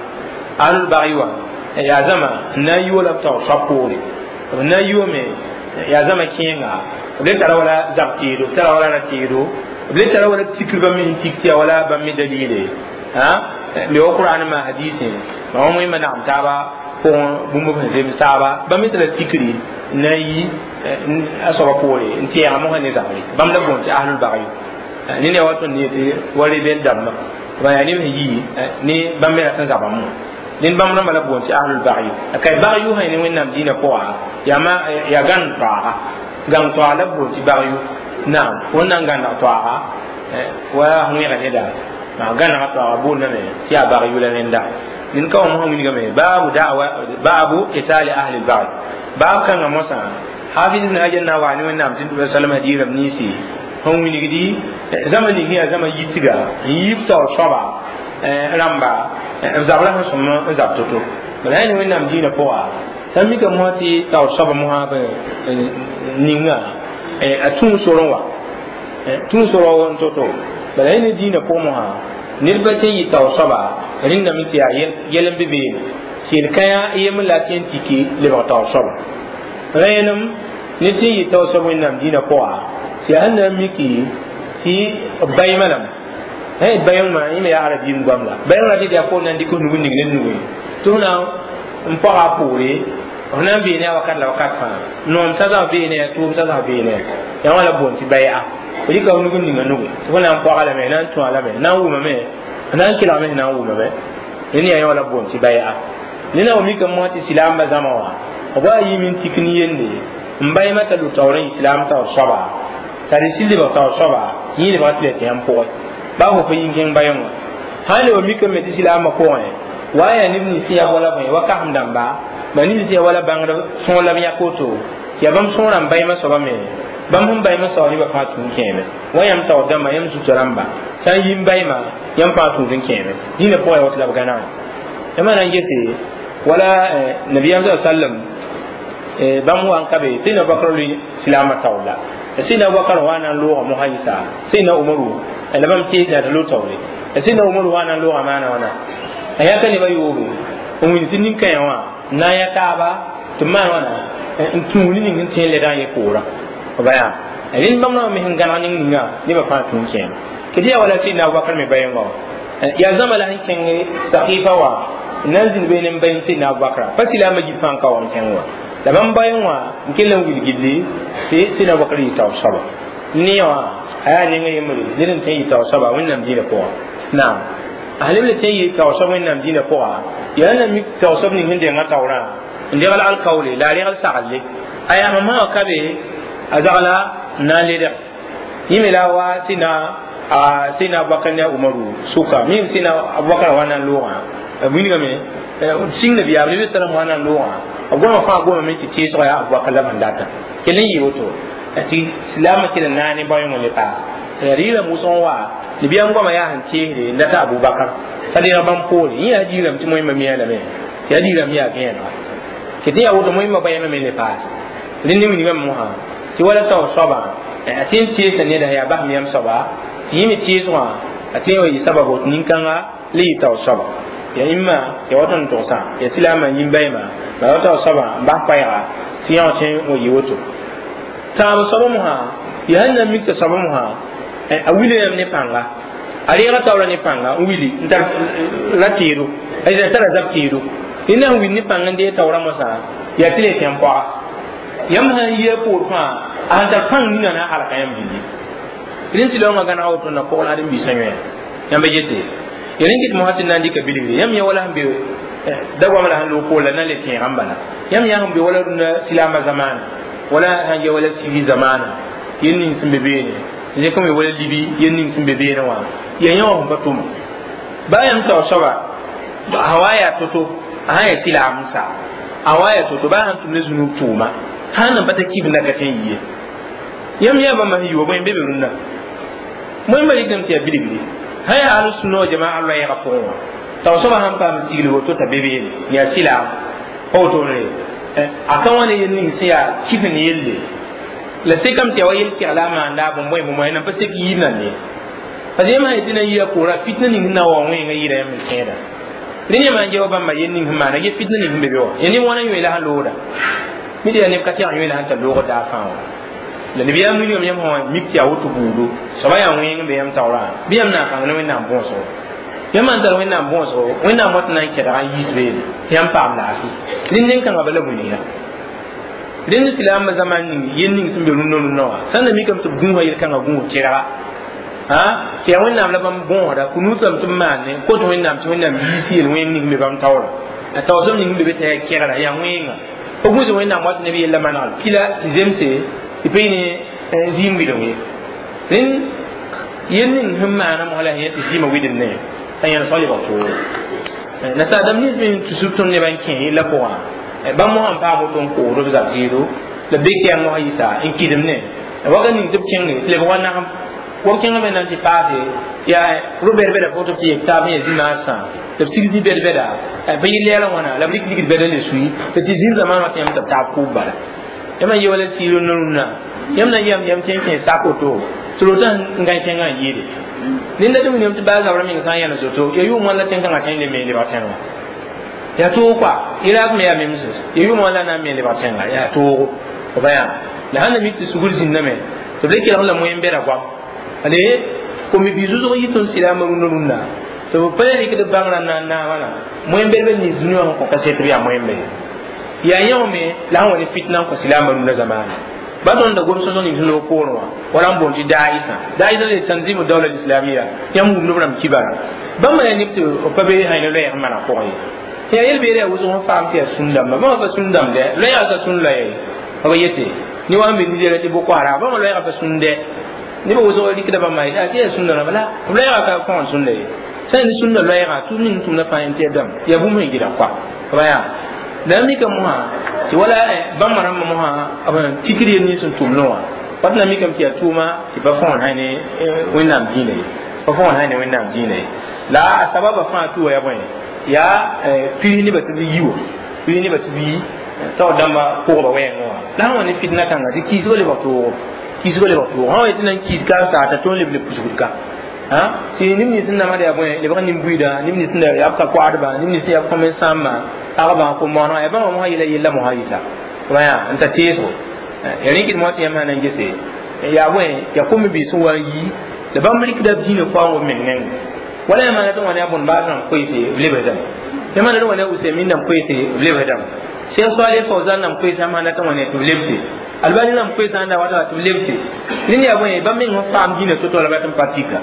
S1: ahlul bagyu wã yaa zãma n na n yi wala b taoor soab poore b na n yi wame yaa zãma kẽenga b le tara wala zab tɩɩdo b tara wala ra tɩɩdo b le tara wala tikr bãmb me sẽn tik tɩ yaa wala bãmb me dalile me wa qur'an ma hadisi ma wa wẽnnaam nagem taaba pʋgẽ bũmb sẽn zems taaba bãmb me tara tikri n na n yi a soaba poore n tɛɛga mosã ne zabre bãmb la boond tɩ ahlul bagyu ne ne wa tõnd ne tɩ wa rebɛl dãmbã ba yaa neb sẽn yi ne bãmb me rat n zabã mo ned bãmb rãmbã la boond tɩ ahlul bagyu ka bagyu sã ne wẽnnaam dĩinã pʋga yaa ma yaa gãn toaaga gãng toaag la boond tɩ bagyu naam wẽnd na n gãneg toaaga wa wẽega neda maa gãnega toaaga boondame tɩ yaa bagyu la rẽnda ned ka wã mosã wilgame baabu da'wa baabu qitali ahli lbagy baab kãngã mosã hafiz ibn hajar na wa ne wẽnnaam tɩ salama hadiis rãmb ninsi sẽn wilgdi zãma ning yaa zãma yitga n yiib taoor soaba rãmba b zabra sẽn sõm n zab to-to bala yaa ne wẽnnaam dĩinã pʋga sã n mika mosã tɩ taoor soaba mosã ninga a tũu sorẽ wa tũu sorã n to-to bala yaa ne dĩinã pʋgẽ mosã Ned pa tɩ n yɩ tao soaba rĩndame tɩ yaa yɛl n be beene tɩ yel-kãyã yembr la tɩ n tiki lebg taoor soaba rẽenem ned sẽn yɩ taoor soab wẽnnaam dĩinã pʋga tɩ yaa sẽn na n miki tɩ b baɩmã lame sã yet bayõngmã yẽ me yaa arabiim goam la bayõng ra tɩ yaa poor na n dɩk f nug n ning ne nugẽ tɩ f na n pɔga a poore f na n beene a wakat la wakat fãa noom sasg beene tʋʋm sasg beene yaa wã la boond tɩ baya f dɩka f nug n ninga nuge tɩ f na n pɔga lame na n tõa lame na n wʋmame na n kelgame na n wʋmame rẽnd yaa yã la boond tɩ baya nena wa mikame mosã tɩ silaambã zãma wã b wa yɩɩm n tik ne yende n baɩmã t'a lʋ taoor n yɩ silaam taoor soaba t'a rɩ sɩl lebg taoor soaba yẽ lebga tɩ la tɩ yãmb pʋgẽ baa fo pa yĩn kẽng bayõngã sã n le wa mikame tɩ silaambã pʋgẽ wa yaa neb nins sẽn yaa wala bõe wa kasem dãmba ma neb sẽn yaa wala bãngd sõor la b yãk woto tɩ yaa bãmb sõorã n baɩmã soaba me bãmb sẽn baɩmã soaba nebã fãa tũud kẽeme wa yãmb taoor dãmba yãmb zutã rãmba sã n yi n baɩmã yãmb fãa tũud n kẽeme dĩnã pʋgẽ yaa woto la b gãnegẽ yãmb na n gese wala nabiyam sa sallam bãmb wa n ka be sẽn Abubakar lʋɩ silaamã taoor la sẽn Abubakar wa na n loogã mosã yɩsa sẽn Umaru la bãmb teesã tɩ lo taoore sẽn Umaru wa na n loogã maana wãna a yãka nebã yoobe n wilg tɩ nin-kãyã wã n na n yã taaba tɩ b maan wãna n tũud ne ning sẽn tẽ lɛdã yẽ poorã b yaa rẽnd bãmb rãmb me sẽn gãneg ning ninga nebã fãa tũud kẽema tɩ yaa wala sẽn Abubakar me bayẽngã wã yaa zãma la sẽn kẽng sakifa wã n na n zĩnd beene n bay sẽn Abubakar pa silaambã gil fãa n ka wa n kẽng wã la bãmb bayẽ wã n kell n wilg gilli tɩ sẽn Abubakar yɩ taoor soaba ne wã a yaa nengã yembre ned n tẽ n yɩ taoor soaba wẽnnaam dĩinã pʋgã naam a leb le tẽ n yɩ taoor soab wẽnnaam dĩinã pʋga yaa na mik taoor soab ning sẽn denga taoorã n degl alkaoole la a regl saglle a yaa mamã wã ka be a zagla n na n ledg yẽ me la wa sẽna sẽna Abubakar ne a Umaru sʋka mim sẽna Abubakar wa na n loogã b wilgame sĩng nabiyaam nabi salam wa na n loogã b goma fãa gomame tɩ teesgã yaa Abubakar la bãn data kell n yɩ woto tɩ silaamã kell n naane ne baoẽngã le paas la rɩɩrame wʋsg n wa nabiyaam goama yaa sẽn teesde n data Abubakar t'a deeg bãmb poore yẽ yaa diirame tɩ moẽmba miã lame tɩ yaa diirame yaa gẽenega tɩ tɩ yaa woto moẽmba bayãmã me le paas rẽnd ne wilgame mosã tɩ wala taoor soabã a tɩ n teesa neda yaa basem yãmb soaba tɩ yẽ me teesgã a tɩ n wa yɩ sababo tɩ nin-kãnga le yɩ taoor soaba ya imma ya wat n togsã ya silaamã yĩn baɩmã la wa taoor soabã n bas paɛɛga tɩ yã tẽ n wa yɩ woto tãab soaba mosã yaa sẽn na n mik tɩ soaba mosã a wila yãmb ne pãnga a reega taoorã ne pãnga n wili n tar ra teedo a tara zab teedo rẽnd na n wil ne pãng n dee taoorã mosã yaa tɩ le tẽn pɔga yãmb sãn yi a poor fãa a sẽn tar pãng ninga na n halka yãmb billi rẽnd tɩ laoongã gãnega woto na pʋgl ãdem-biisã yõe yãmb yete ya rẽn kɩt mosã tɩ na n dɩka bilgre yãmb yã wala sẽn be da goam la sẽn loog poor la na n le tẽegã n bala yãmb yã sẽn be wala rũndã silaambã zamaana wala sãn ya wala sigi zamaana yel ning sẽn be beene n kõ me wala libi yel ning sẽn be beene wã yaa yã wã sẽn pa tʋma baa yãmb taoor soaba a wa yaa to-to a sã n yaa silaam n sa a wa yaa to-to baa sãn tʋm ne zũnug tʋʋma sãn nan pa ta kib n da ka tẽ n yie yãmb yaa bãmba sẽn yi wa bõe n be be rũndã moẽmba rɩkame tɩ yaa bilgre sã yaa al-sunna wa jamaa loɛɛgã pʋgẽ wã taoor soabã sãn paam sigl woto t'a be beene yaa silaam pa wotone a ka wã ne yel ning sẽn yaa kif n yelle la sekame tɩ yaa wa yel-kɛgla a maanda a bõn-bõe bõn-bõe nan pa sek yiib nan ne parce que yãmb sã yetɩ na n yɩ a poorã fitna ning sẽn na n wa wẽengã yɩɩda yãmb n tẽeda rẽnd yãmb n geo bãmba yel ning sẽn maana ye fitna ning sẽn be be wã ya neb wãna yõe la sẽn looda mi yaa neb ka tɛg yõe la sẽn tar loogd daa fãa wã la nabiyaam wilgame yãmb sã mik tɩ yaa woto buudo soaba yaa wẽeng n be yãmb taoorã bɩ yãmb na n kãng ne wẽnnaam võosgo yãmb sãn tar wẽnnaam võosgo wẽnnaam wat na n kɛdga n yiis beene tɩ yãmb paam laafɩ rẽnd nen-kãngã bala wilga rẽnd silaambã zãma ning yel ning sẽn be rũndã rũndã wã sãn na mikame tɩ b gũusa yel-kãngã gũus tẽrga tɩ yaa wẽnnaam la bãmb gõosda kunuutame tɩ b maane kot wẽnnaam tɩ wẽnnaam yiis yel wẽng ning be bãmb taoorã a taoor soab ning be be tɩ yaa kɛgra yaa wẽenga pa gũus wẽnnaam wat neb yella manegl pila tɩ zemse tɩ pa yɩ ne zĩim wɩdg ye rẽnd yel ning sẽn maana mosã la sẽn yẽ tɩ zĩimã wɩdem ne t'a yãl sõa lebg toore nasaadame nins me tʋsb tõnd nebã n kẽ yella pʋgã bãmb mosã n paam woto n koosd b zab zɩɩdo la be kɛɛng mosã yɩsa n kɩdem ne waka ning tɩ b kẽnge tɩ lebg wa nagem wa kẽngame na n tɩ paase yaa ro-bɛd-bɛda pʋgẽ tɩ b tɩ yek taab yẽ zĩ-maasã la b sig zĩ-bɛd-bɛda pa yɩ lɛɛlã wãna la b rɩk ligd bɛda le sui tɩ tɩ zĩr zamaan wã tɩ yãmb tɩ b taab kʋʋb bala yãmb n ye wala siir rũndã rũndã yãmb na n yam yam tẽ n kẽ sak woto tɩ rotã n gãe kẽngã n yɩɩde Ninda tɩ william tɩ baa zabr meng sã n yãns woto ya yʋʋm wã la tẽn-kãngã tõe n le me lebg tẽngã yaa toog kɔa Irak me yaa mems ya yʋʋm wã la na n me lebg tẽnga yaa toogo b yaa la sãn na mik tɩ sugr zĩndame tɩ b le kelg la moyen-bɛda goam ale komi-biis wʋsg yɩ tõnd silaamã rũndã rũndã tɩ b pa le rɩkd bãngrã na n naamã moyen-bɛdbã nins dũni wã sẽn kõ kaset b yaa moyen-bɛd yaa yẽ me la sẽn wa ne fitna n kõ silaamã rũndã zamaana ba tõnd da gom sõsg ning sẽn loog poorẽ wã wala n boond tɩ daisã daisã le tanzimu dawla islamia yãmb wumd b rãmb kibara bãmba yaa neb tɩ b pa be hãy ne loɛɛg n maneg pʋgẽ ye yaa yel-beere yaa wʋsg n faam tɩ yaa sũn-dãmba bãmba pa sũn-dãmb dɛ loɛɛga ka sũn loɛɛ b yete ne wa n be Nigeria tɩ Boko Haram bãmba loɛɛga pa sũn dɛ nebã wʋsg rɩkda bãmba tɩ yaa sũn-dãmba la b loɛɛga ka kõgen sũnda ye sã n sũnda loɛɛga tʋʋm ning tʋmda fãa yẽ tɩ yaa dãmb yaa bũmb sẽn gɩdg koa b yaa la mika mosã tɩ wala bãmba rãmbã mosã b tikr yel nins n tʋmdẽ wã wat na mikame tɩ yaa tʋʋma tɩ pa fõgen sã ne Wẽnnaam dĩinã ye pa fõgen sã ne Wẽnnaam dĩinã ye la a sababa fãa tʋ wa yaa bõe yaa pis nebã tɩ b yi wa pis nebã tɩ b yi taoor dãmbã pʋgba wɛɛngẽ wã la sẽn wa ne fitna kãnga tɩ kiisgã lebg toogo kiisgã lebg toogo sã wa tɩ na n kiis ka n saata tõnd leb le pusgd ka tɩ neb nins n namd yaa bõe lebg nin-buiidã neb nins n yaa b ka koadba neb nins n yaa b kõmen-sãambã pagba ko-moanã yaa bãmba mosã yela yella mosã yisa yaa n ta teesgo ya rẽkd moa tɩ yãmb sã na n gese yaa bõe yaa kom-biis sẽn wa n yi la bãmb rɩkda b dĩinã kaoong b meng nengẽ wala yãmb sã tɩ wã ne a bõn baas rãmb koeese b lebsdame yãmb sã tɩ wã ne a Usaymin rãmb koeese b lebsdame Cheikh Saleh Fawzan rãmb koeese yãmb sã tɩ wã ne tɩ b lebse Albani rãmb koeese sã n da wata tɩ b lebse rẽnd yaa bõe bãmb meng sẽn faam dĩinã to-to la ba tɩ n pa tika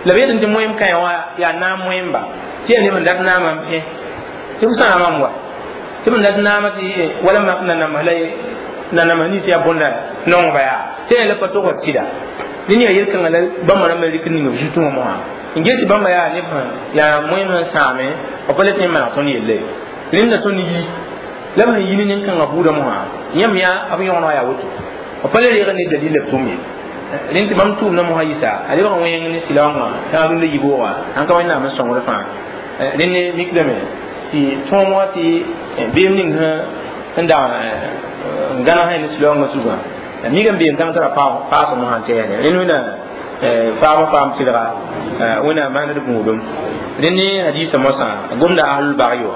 S1: la b yetɩ tɩ moem kãe wã yaa naam moemba tɩ yaa neb n dat naamã n pẽ tɩ b sãamam wa tɩ b n dat naamã tɩ wala mak nanamsã la nanamsã nins yaa bõnda nongba yaa tɩ yaa la pa togd tɩda rẽnd yaa yel-kãngã la bãmba rãmbã rɩk ning b zutẽ wã mosã n get tɩ bãmba yaa neb yaa moem sẽn sãame b pa le tõe n maneg tõnd yelle rẽnd la tõnd yi la b sẽn yi ne nin-kãngã buudã mosã yãmb yaa b yõgenã yaa woto b pa le reeg ne dalil la b tʋm ye rẽnd tɩ bãmb tʋʋmdã mosã yisa a lebg n wẽng ne silaoongã tãag rũndã yiboogã sãn ka Wẽnnaam n sõngd fãa rẽnd ne mikdame tɩ tõog mosã tɩ beem ning sẽn dag n gãneg sã ne silaoongã zugã mikame beem kãng tara paasg mosã n tɛɛne rẽnd wẽna faam faam tɩlga wẽna maand gũudum rẽnd ne hadiisa mosã gomda ahlul bagyi wã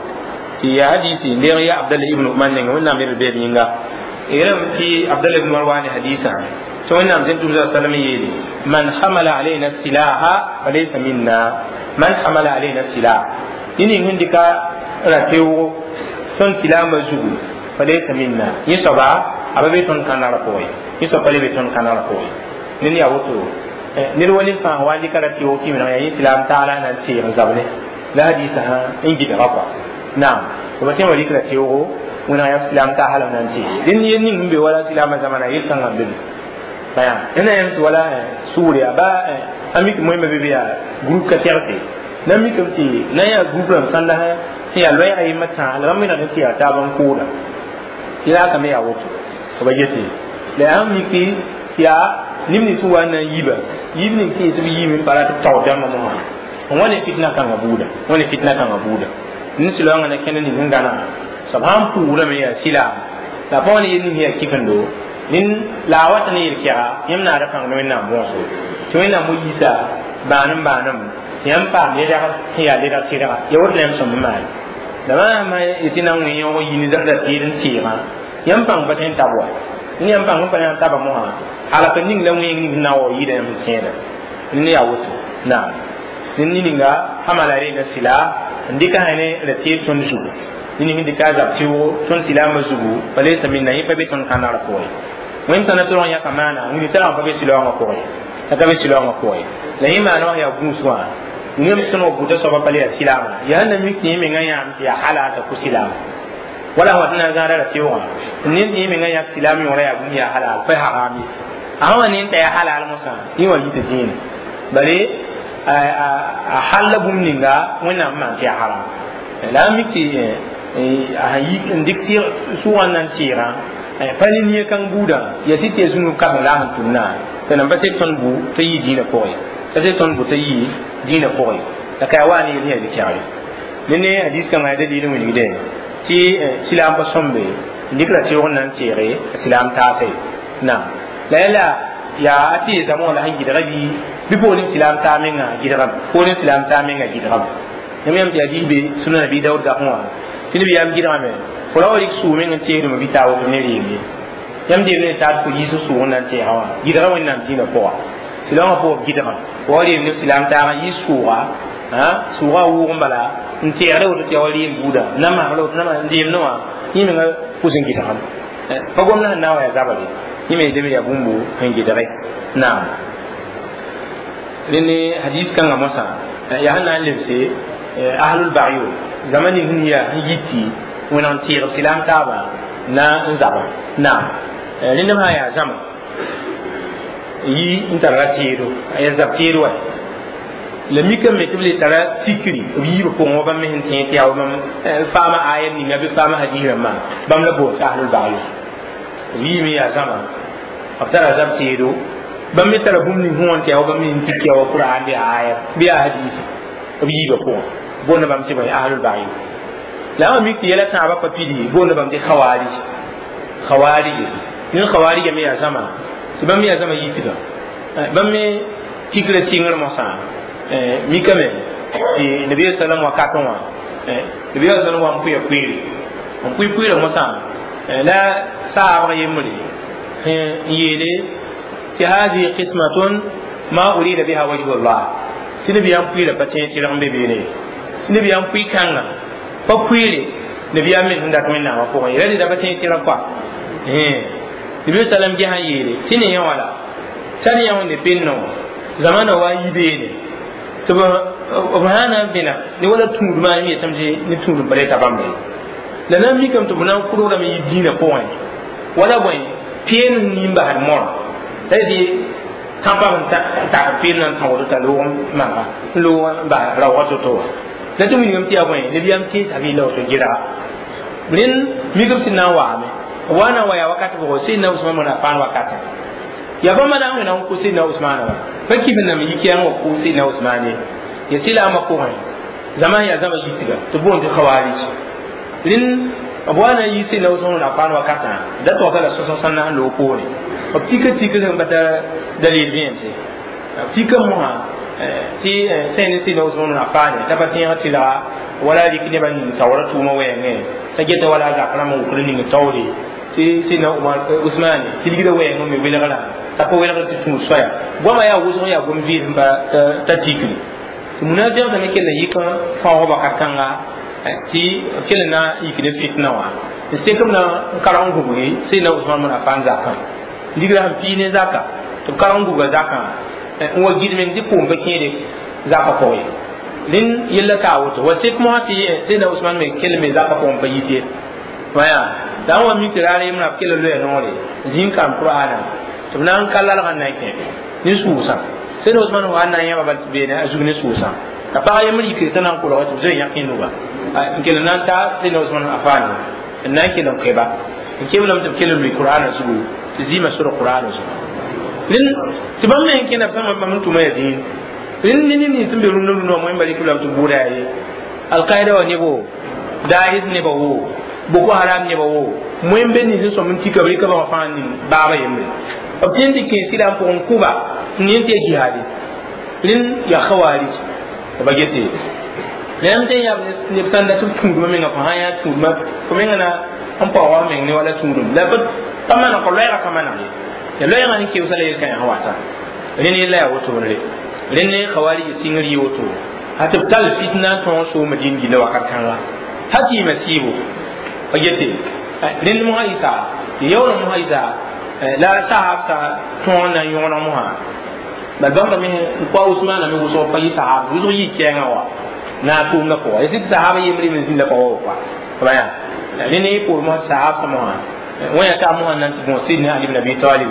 S1: tɩ yaa hadisi n deeg ya Abdallah ibn Umar nengẽ Wẽnnaam neb beed yĩnga yerame tɩ Abdallah ibn Umar waa ne hadisã tɩ Wẽnnaam sẽn tʋm sallam yeele man hamala alayna silaha falaysa minna man hamala alayna silah ned ning sẽn dɩka ra-teoogo tõnd silaambã zugu falaysa minna yẽ soaba a pa be tõnd kãnara pʋgẽ yẽ soab pa le be tõnd kãnara pʋgẽ ned yaa woto ned wa ned fãa wa n dɩka ra-teoog tɩ meneg yaa yẽ silaam taala na n teeg n zab ne la hadisã sã n gɩdga kɔa naam b tõe n wa rɩk ra-teoogo wẽneg yaa silaam taasã la n na n teeg dẽnd yel ning sẽn be wala silaamã zamana yel-kãngã n be be baya ẽna yãmb tɩ wala sʋʋr yaa ba a mik moẽmã be be yaa groupe ka tɛgse na mikame tɩ na n yaa groupe rãmb sãnda sẽn yaa loɛɛga yembã tãag la bãmb menegd tɩ yaa taab n kooda yelakame yaa woto b yete la yaa sẽn miki tɩ yaa neb nins sẽn wa n na n yiba yib ning sẽn yetɩ b yiime n pa rat b taood dãmbã mosã n wa ne fitna kãngã buuda n wa ne fitna kãngã buuda nin-silaoongã na kẽnd ning sẽn gãnega soab sãn pʋʋgrame yaa silaam la pa wa ne yel ning sẽn yaa kifendo nin la a wata ne yel-kɛga yãmb naada pãng ne Wẽnnaam võoso tɩ Wẽnnaam mo yiisa bãanem bãanem tɩ yãmb paam ledg sẽn yaa ledg sɩdga ya woto la yãmb sõm n maane la maasã yetɩ na n wẽ yõog yi ne ra teed n teegã yãmb pãng pa tõe n tab wa ne yãmb pãng n pa na n taba mosã halka ning la wẽng ning sẽn na n wa yɩɩda yãmb sẽn tẽeda ne yaa woto naam ned ninga hamala rena sila n dɩka sã ne ra teed tõnd zugu ned ning n dɩka a zab tɩʋgo tõnd silaambã zugu falaysa minna yẽ pa be tõnd kãnara pʋgẽ wẽnd tãna tɩ rong yãka maana wĩni tara pa be silaoongã pʋgẽ t'a ka be silaoongã pʋgẽ la yẽ maana wã yaa gũus wã yẽmb sẽn wa buta soaba pa le yaa silaamã yaa sẽn na mik tɩ yẽ mengã yãam tɩ yaa halal t'a kʋ silaam wala wa tɩ na n zãada ra teoogã ned tɩ yẽ mengã yãk silaam yõora yaa bũmb yaa halal pa haram ye a sã wa ne n ta yaa halal mosã yẽ wa yita dĩinã bare a halla bũmb ninga Wẽnnaam maan tɩ yaa haram la a mik tɩ a sẽn yi n dɩk sʋʋgã n na n teegã pa ne nia kãng buudã yaa sɩ tɩ yaa zũnug kãseng la a sẽn tʋmdã tɩ nan pa sek tõnd bu t'a yɩ dĩinã pʋgẽ t'a sek tõnd bu t'a yɩ dĩinã pʋgẽ la ka yaa wa ne yel sẽn yaa dɩ-kɛgre ne ne hadis kãngã yaa dalil n wilgdẽ tɩ silaam pa sõmbe n dɩk ra teoog n na n teege a silaam taase naam la yala yaa a tɩ zame wã la sẽn gɩdga bɩ bɩ poorẽ silaam taa menga gɩdgame poorẽ silaam taa menga gɩdgame yãmb yãmb tɩ yaa diis be sũna nabi daood gafẽ wã tɩ nabiyaam gɩdgame fo ra wa rɩk sʋʋg meng n teesdme bɩ taa woto ne reem ye yãmb deem ne taat fo yiis sʋʋg n na n tɛɛgã wã gɩdga wẽnnaam dĩinã pʋga silaamã pʋgb gɩdgã wa reem ne silaam taag n yiis sʋʋga sʋʋga wʋʋg n bala n tɛɛgda woto tɩ yaa wa reem buuda namasg la woto n deemdẽ wã yẽ menga pʋs n gɩdgame pa gomdã sẽn na n wa yaa zabre yẽ me yetame yaa bũmb sẽn gɩdge naam rẽnd hadis kãngã mosã yaa sẽn na n lebse ahlul bagyo zama ning sẽn yaa sẽn yiti wẽneg n teeg silaam taabã na n zaba naam rẽnd sã yaa zãma yi n tara teedo a yaa zab teed wa la mikame tɩ b le tara tikri b yiibã pʋgẽ wa bãmb me sẽn tẽ tɩ yaa bãmb faama aya ninga bɩ faama hadis rãmbã bãmb la boond ahlul bagyo b yiime yaa zãma b tara zab teedo bãmb me tara bũmb ning sẽn wã tɩ yaa wa bãmb me sẽn tik yaa wa qur'an bɩ yaa aya bɩ yaa hadisi b yiibã pʋgẽ boonda bãmb tɩ bõe ahlul bagyo la wã mik tɩ yɛla tãabã pa pidi boonda bãmb tɩ khawarij khawarij ned khawarija me yaa zãma tɩ bãmb me yaa zãma yitga bãmb me tikra sɩngr mosã mikame tɩ nabiya sallam wakatẽ wã nabiya sallam wa n pʋya pʋɩɩre n pʋɩ pʋɩɩrã mosã la saabg yembre n yeele tɩ hadihi qismatun ma urida biha wajhu llah tɩ nabiyaam pʋɩɩrã pa tẽeg tɩrg n be beene tɩ nabiyaam pʋɩ kãngã pa pʋɩɩre nabiyaam me sẽn dat wẽnnaamã pʋgẽ ye la rɩda pa tẽeg tɩrg koa nabi sallam gesã yeele tɩ ne yã wã la tar yã wẽnde pennã wã zamana wa n yi beene tɩ b sã na n vẽna ne wala tũudmã yẽ yetame tɩ ne tũud n pa reta bãmb ye la na n mikame tɩ b na n kʋrgrame yɩ dĩinã pʋgẽ wala bõe peen n nin basd moorã la tɩ tãpam n tak peen na n tãood t'a loog n maga n loog n bas raoogã to-to wã la tɩ wilgame tɩ yaa bõe nabiyaam teesa bɩ la woto gɩdga rẽnd mikb sẽn na n waame b wa na n wa yaa wakat bʋgo Seydina Usman bn Affan wakatã yaa bãmba na n wẽna n kʋ Seydina Usmaana wa pa kɩf n nam yik yãng wa kʋ Seydina Usmaan ye ya silaamã pʋgẽ zãma yaa zãma yitga tɩ boond tɩ khawarij rẽnd b wa na n yi Seydina Usman bn Affan wakatã da tɔgta la sõsg sẽn na n loog poore b tika tika sẽn pa tar dalil vẽense b tika mosã tɩ sẽn ne Seydina Usman bn Affan t'a pa tẽeg tɩlga wala rɩk nebã ning taoorã tʋʋmã wɛɛngẽ t'a geta wala a zak rãmb n wʋkd ning taoore tɩ Seydina Usman tilgda wɛɛng me welgrã t'a pa welgr tɩ tũud soaya goamã yaa wʋsg yaa gom vɩɩs n pa ta tikri tɩ munafiqdã me kell n yik n fãoog wakat kãnga tɩ b kell n na n yik ne fitna wã n sek b na n karg n gubgi Seydina Usman bn Affan zakã ligrã sẽn pii ne zaka tɩ b karg n gubga zakã n wa gɩd meng tɩ koom pa kẽede zakã pʋgẽ rẽnd yella taa woto wa sek mosã tɩ Seydina Usman me kell me zakã pʋgẽ pa yit ye waya la n wa mik tɩ raar yembrã b kell n loya noore zĩig n karem qur'aana tɩ b na n ka lalgã n na n kẽ ne sʋʋsã Seydina Usman wa n na n yãba bal tɩ beene a zug ne sʋʋsã la pag yembr yikre t'a na n kolga tɩ b zoe yãk nuga n kell n na n ta Seydina Usman Affan n na n kell n koɛba n keblame tɩ b kell n lʋɩ qur'aana zugu tɩ zɩɩmã sor qur'aana zugu rẽnd tɩ bãmb me n kẽna b bãmb n tʋma yaa zĩig rẽnd ne ned nins sẽn be rũndã rũndã wã moẽmba rɩk lame tɩ bʋʋda yaa ye alkaida wã nebo daahis neba wo boko haram neba wo moẽm be nins n sõm n tika b rɩka bãmb fãa ning baaba yembre b tẽn tɩ kẽ sɩda n pʋgẽ kʋba n yẽ tɩ yaa jihaade rẽnd yaa khawarij ba gete la tɩ yaa neb sãn dat b tũudmã menga fo sã n yaa tũudmã fo menga na n paoog meng ne wala tũudum la pa maneg ka loɛɛgã ka maneg ye ya loɛɛgã n keoosa la yel-kãensã wata rẽnd yella yaa wotone rẽnd ne khawarij sɩngr yɩ woto ha tɩ b tall fitna n tõog sooma dĩin gilla wakat kãnga ha tɩ yɩma sɩɩbo pa gete rẽnd mosã yɩsa tɩ yaool mosã yɩsa la sahab sã tõog na n yõgeneg mosã bal bãmba me n kʋa Usmaana me wʋsg pa yɩ sahab wʋsg yɩ kɛɛngã wa na a tʋʋmdã pʋga ya tɩ sahaba yembr me zĩnda pa wa koa b yaa rẽnd ne poor mosã sahab sã mosã wã yaa taa mosã na n tɩ bõo Seydina Ali ibn Abi Talib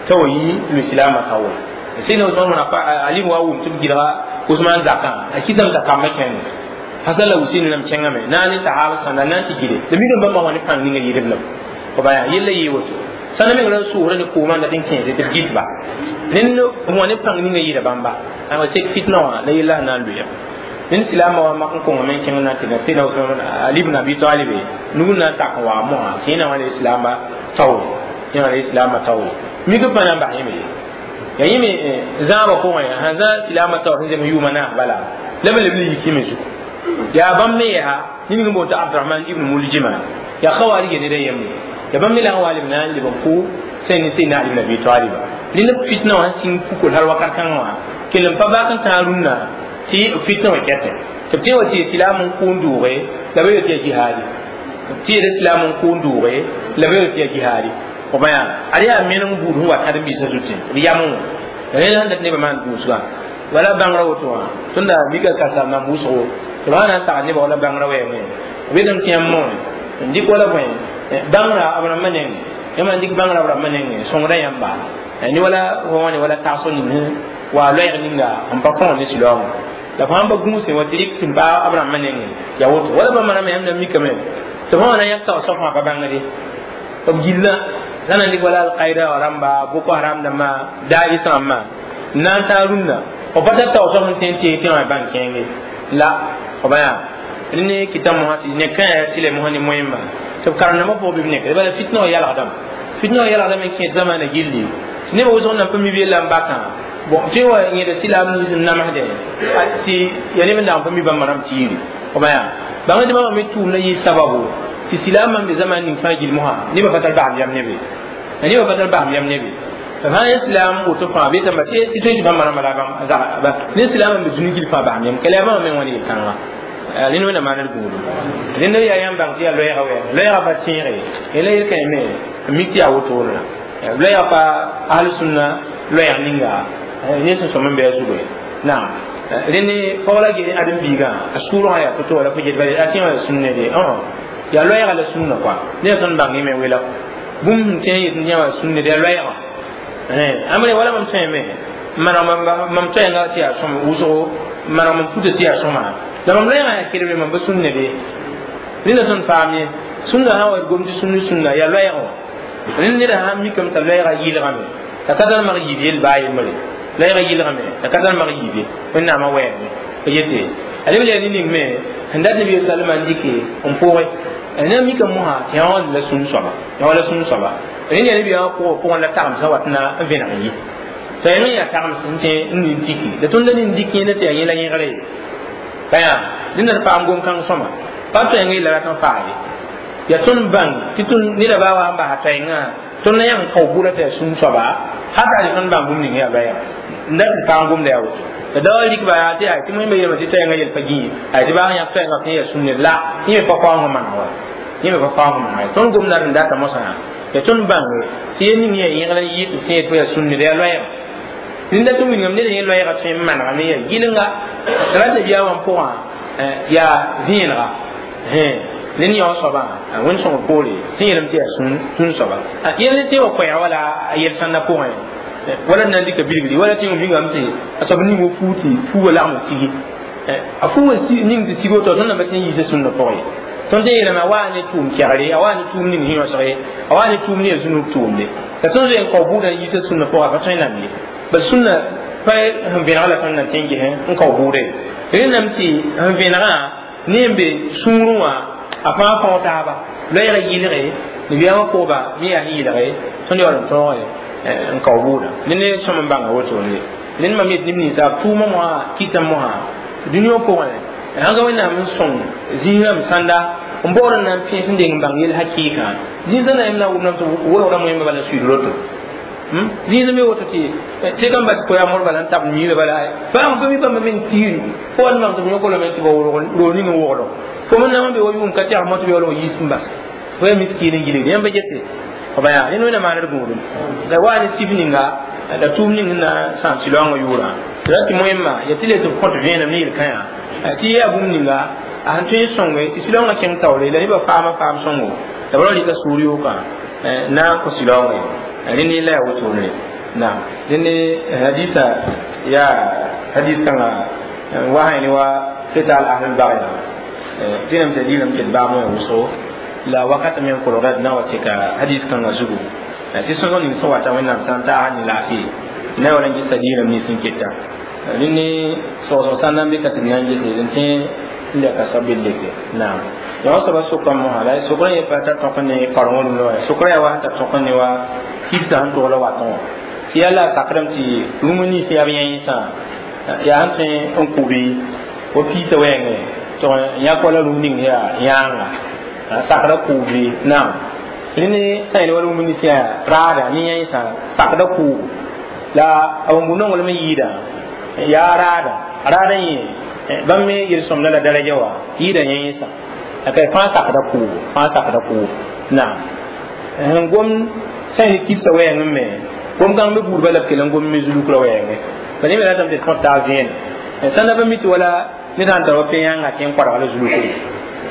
S1: t'a wa yi lusilaamã taoore Seydina Usman bn Ali wa wʋm tɩ b gɩdga Usman zakã a kɩtame t'a kambã kẽnde Hasan la Husain lam kẽngame na ne sahaba sãnda na n tɩ gɩde la mikame bãmba wã ne pãng ninga yɩdb lam b yaa yella yee woto sãnda meng ra sʋʋsra ne koomã n dat n kẽese tɩ b gɩtba rẽnd wã ne pãng ninga yɩɩda bãmba a sek fitna wã la yella sẽn na n loeya rẽnd silaamã wa mak n kõnga me n kẽng na n tɩ Seydina Usman Ali ibn Abi Talib nug n na n tak n waa mosã tɩ yẽ na wã ne islaamba taoore yẽ wã ne islaambã taoore mik pa na n bas yẽme ye Ya yẽme zãabã pʋgẽ sãn zã silaamã taoor sẽn zems yʋʋma naas bala la b leb n yik yẽme zugu yaa bãmb me yaa ning n boond t'a Abdurahman ibn Muljima yaa khawarija ned a yembre ya bãmb me la n wa leb na n leb n kʋ sẽn ne Seydina Ali ibn Abi Talib rẽnd fitna wã sẽn pukl hal wakat kãngã wã kell n pa bak n tãag rũnnã tɩ fitna wã kɛtẽ tɩ b tẽ wa tɩ silaam n kʋ n dʋʋge la b yel tɩ yaa jihaadi tɩ yel silaam n kʋ n dʋʋge la b yel tɩ yaa jihaadi b yaa ad yaa meneng buud sẽn wa karen-biisã zutẽ b yamẽ wã rẽnd sẽn dat nebã maan gũusgã wala bãngrã woto wã tõnda mika ka mam wʋsgo tɩ b sã na n sagd nebã wala bãngrã wɛɛngẽ b yetame tɩ yãmb moẽ n dɩk wala bõe bãngrã b rãmbã nengẽ yãmb n dɩk bãngrã b rãmbã nengẽ sõngda yãmba ne wala fo ne wala tagsg ning wa loɛɛg ninga n pa kõo ne silaoongã la fãa pa gũusẽ wa tɩ rɩk tɩ n baa b rãmbã nengẽ yaa woto wala bãmb rãmba yãmb na mikame tɩ fõ wã na yãk taoor soab fãa pa bãngde b gillã sã na n dɩk wala alkaida wã rãmba Boko Haram dãmbã Daesh rãmbã n na n tãag rũnnã b pa tar taoor soab sẽn tõe n teeg tẽwã bãng kẽenge la b yaa ne kɩta mosã tɩ ne kã tɩ la mosã ne moẽmba tɩ b karem-dãmbã pʋgẽ bɩ b nekre bala fitna wã yalgdame fitna wã yalgdame n kẽed zamaana gilli tɩ nebã wʋsg nan pa mi b yella n bakã bon tɩ wa yẽda silaam nins n namsdẽ tɩ ya neb n dag n pa mi bãmba rãmb tiiri b yaa bãng tɩ bãmba me tʋʋmda yɩ sababu tɩ silaamã n be zamaan ning fãa gill mosã nebã pa tar basem yam nebe nebã pa tar basem yam nebe fãa yẽ silaam woto fãa be tãmba tɩ tõe tɩ bãmba rãmba la bãmb ne silaam n be dũni gill fãa basem yam kala yaa bãmba me wã ne yel-kãngã rẽnd wẽnnaam maanr gũudum rẽnd yaa yãmb bãng tɩ yaa loɛɛga wɛɛng loɛɛga pa tẽege la yel-kãe me n mik tɩ yaa wotone loɛɛga pa ahl-sũnna loɛɛg ninga ne sẽn sõm n bɩ a zugu naam rẽnd pɔg la ges ãdem-biigã a sʋʋrgã yaa to-to wala fo get bala a tẽ wã sũnne de yaa loɛɛga la sũnna kɔa ned tõnd bãng yẽme wela bũmb sẽn tẽ yet n yã wã sũnne de yaa loɛɛgã amre wala mam tõeme maneg mam toɛɛngã tɩ yaa sõm wʋsgo maneg mam puta tɩ yaa sõma la mam loɛɛgã yaa kedbre mam pa sũnne be rẽnda tõnd paam ye sũnna sã wa gom tɩ sũnni sũnna yaa loɛɛgã wã rẽnd neda sã n mikame t'a loɛɛgã yɩlgame la ka tar mag yiib yel baa yembre loɛɛgã yɩlgame la ka tar mag yiib ye wẽnnaamã wɛɛme pa yete a leb la ne ning me sẽn dat nabi salama n dɩke n pʋgẽ na mika mosã tɩ yã wã la sũn soaba yã wã la sũn soaba rẽnd yaa nabiyaamã pʋgã pʋgẽ la tagemsã wat na n vẽneg n yi t'a yaa yaa tagems n tẽ n nin tiki la tõnd la nin dɩk yẽnda tɩ yaa yẽ la yẽgre pa yaa dẽnda d paam gom-kãng sõma pa toɛɛngã yella rat n faa ye yaa tõnd bãng tɩ tõnd neda baa wa n basa toɛɛngã tõnd na yãng kao bʋra tɩ yaa sũn soaba hata tɩ tõnd bãng bũmb ning yaa loɛɛga n dat tɩ paam gomda yaa woto la da wa rɩk ba yaa tɩ tɩ moẽmba yeelame tɩ toɛɛngã yel pa gĩ ay tɩ baa yãk toɛɛngã tɩ yaa sũnne la yẽ me pa kaoong maneg wa yẽ me pa kaoong maneg tõnd gomda d n data mosã yaa tõnd bãnge tɩ yel ning yaa yẽgr n yɩ tɩ tẽed fo yaa sũnne yaa loɛɛga rẽnda tɩ wilgame ned yẽ loɛɛga tõe n manegame yaa gɩlenga tɩ rat nabiyaam wã pʋgã yaa vẽenega ned yao soabã wẽnd sõng poore sẽn yeelame tɩ yaa sũn soaba yel ne tẽ wã koɛɛg wala a yel-sãndã pʋgẽ wala d na n dɩka bilgri wala tẽ wĩngame tɩ a soab ning wa fuu tɩ fuugã lagm n sigi a fuugã ning tɩ sig woto tõnd namba tẽ n yiisa sũnna pʋgẽ ye tõnd tẽ yeelame a waa ne tʋʋm kɛgre a waa ne tʋʋm ning sẽn yõsge a waa ne tʋʋm ne ya zũnug tʋʋmde la tõnd zoe n kao bʋʋdã n yiisa sũnna pʋgã pa tõe n namd ye bal sũnna pa sẽn vẽneg la tõnd na tẽ n ges n kao bʋʋda ye rẽndame tɩ sẽn vẽnegã ne n be sũurẽ wã a fãa fão taaba loɛɛga yɩlge nabiyaamã pʋgba me yaa sẽn yɩlge tõnd yaool n tõoge n kao bʋʋda ne ne sõm n bãnga wotone ned mam yet neb ninsaab tʋʋmã mosã kɩtã mosã dũni wã pʋgẽ sãn ka wẽnnaam n sõng zĩig rãmb sãnda n baood n na n pẽes n deng n bãng yel hakɩɩkã zĩisã na yem na n wʋmdame tɩ wolgdã moẽmba bala n suiid roto zĩisã me woto tɩ tɩ kam bas koya mor bala n tab miirã bala bãng pa mi bãmba meng tiiri fo wa n mak tɩ b yõk lame tɩ ba roog ning n wogdo fo me nama be wa yʋʋm ka tɛg mo tɩ b yaool n yiis n bas fo yaa miskiin n gilgd yãmba gese b yaa rẽnd wẽnna maanr gũudum la waa ne sif ninga la tʋʋm ning n na sãam sɩlaoongã yʋʋrã tɩ ra tɩ moẽmba yaa tɩ le tɩ b kõt vẽenem ne yel-kãyã tɩ yaa bũmb ninga a sẽn tõe n sõnge tɩ sɩlaoongã kẽng taoore la nebã faama faam sõngo la b ra rɩka sũur yookã na n kõ sɩlaoongẽ rẽnd yella yaa wotone naam rẽnd hadisa yaa hadis kãnga wa sã ne wa qital ahl bagya tɩ nam t'a diinam ket baam wã wʋsgo la wakat me n kolgda d na wa tɩka hadis kãngã zugu tɩ sõsg ning sẽn wata wẽnnaam sã n taas ne laafɩ na wala n gesa diinam nins n keta rẽnd ne sogsg sã n na n be ka tɩ b na n gese n tẽ n lɛka soab leke naam yã soaba sʋka mosã la sʋkrã yẽ pa tar tõk ne karengã rũndã wa sʋkrã yaa wa sẽn tar tõk ne wa kibsã sẽn togl watẽ wã Tɩ yaa la a sakdame tɩ rũm nins yaa b yãensã yaa sẽn tõe n kʋ bɩ wa piisã wɛɛngẽ tɩ yãk wala rũm ning yaa yãanga sakda kʋʋbe naam rẽnd sã yel wa rũm nins yaa raada ne yãensã sakda kʋʋb la a wãmbu nonglem n yɩɩda yaa raada raada yẽ bãmb me yel-sõmda la daraja wa yɩɩda yãensã la fãa sakda kʋʋb fãa sakda kʋʋb naam sẽn gom sã yel kibsã wɛɛngẽ me gom kãng me buudba la b kell n gom me zulukra wɛɛngẽ pa ne me ratame tɩ tõd taa vẽenem sãn da pa mi tɩ wala ned sãn tar wa pe-yãngã kẽ n koadg la zulukre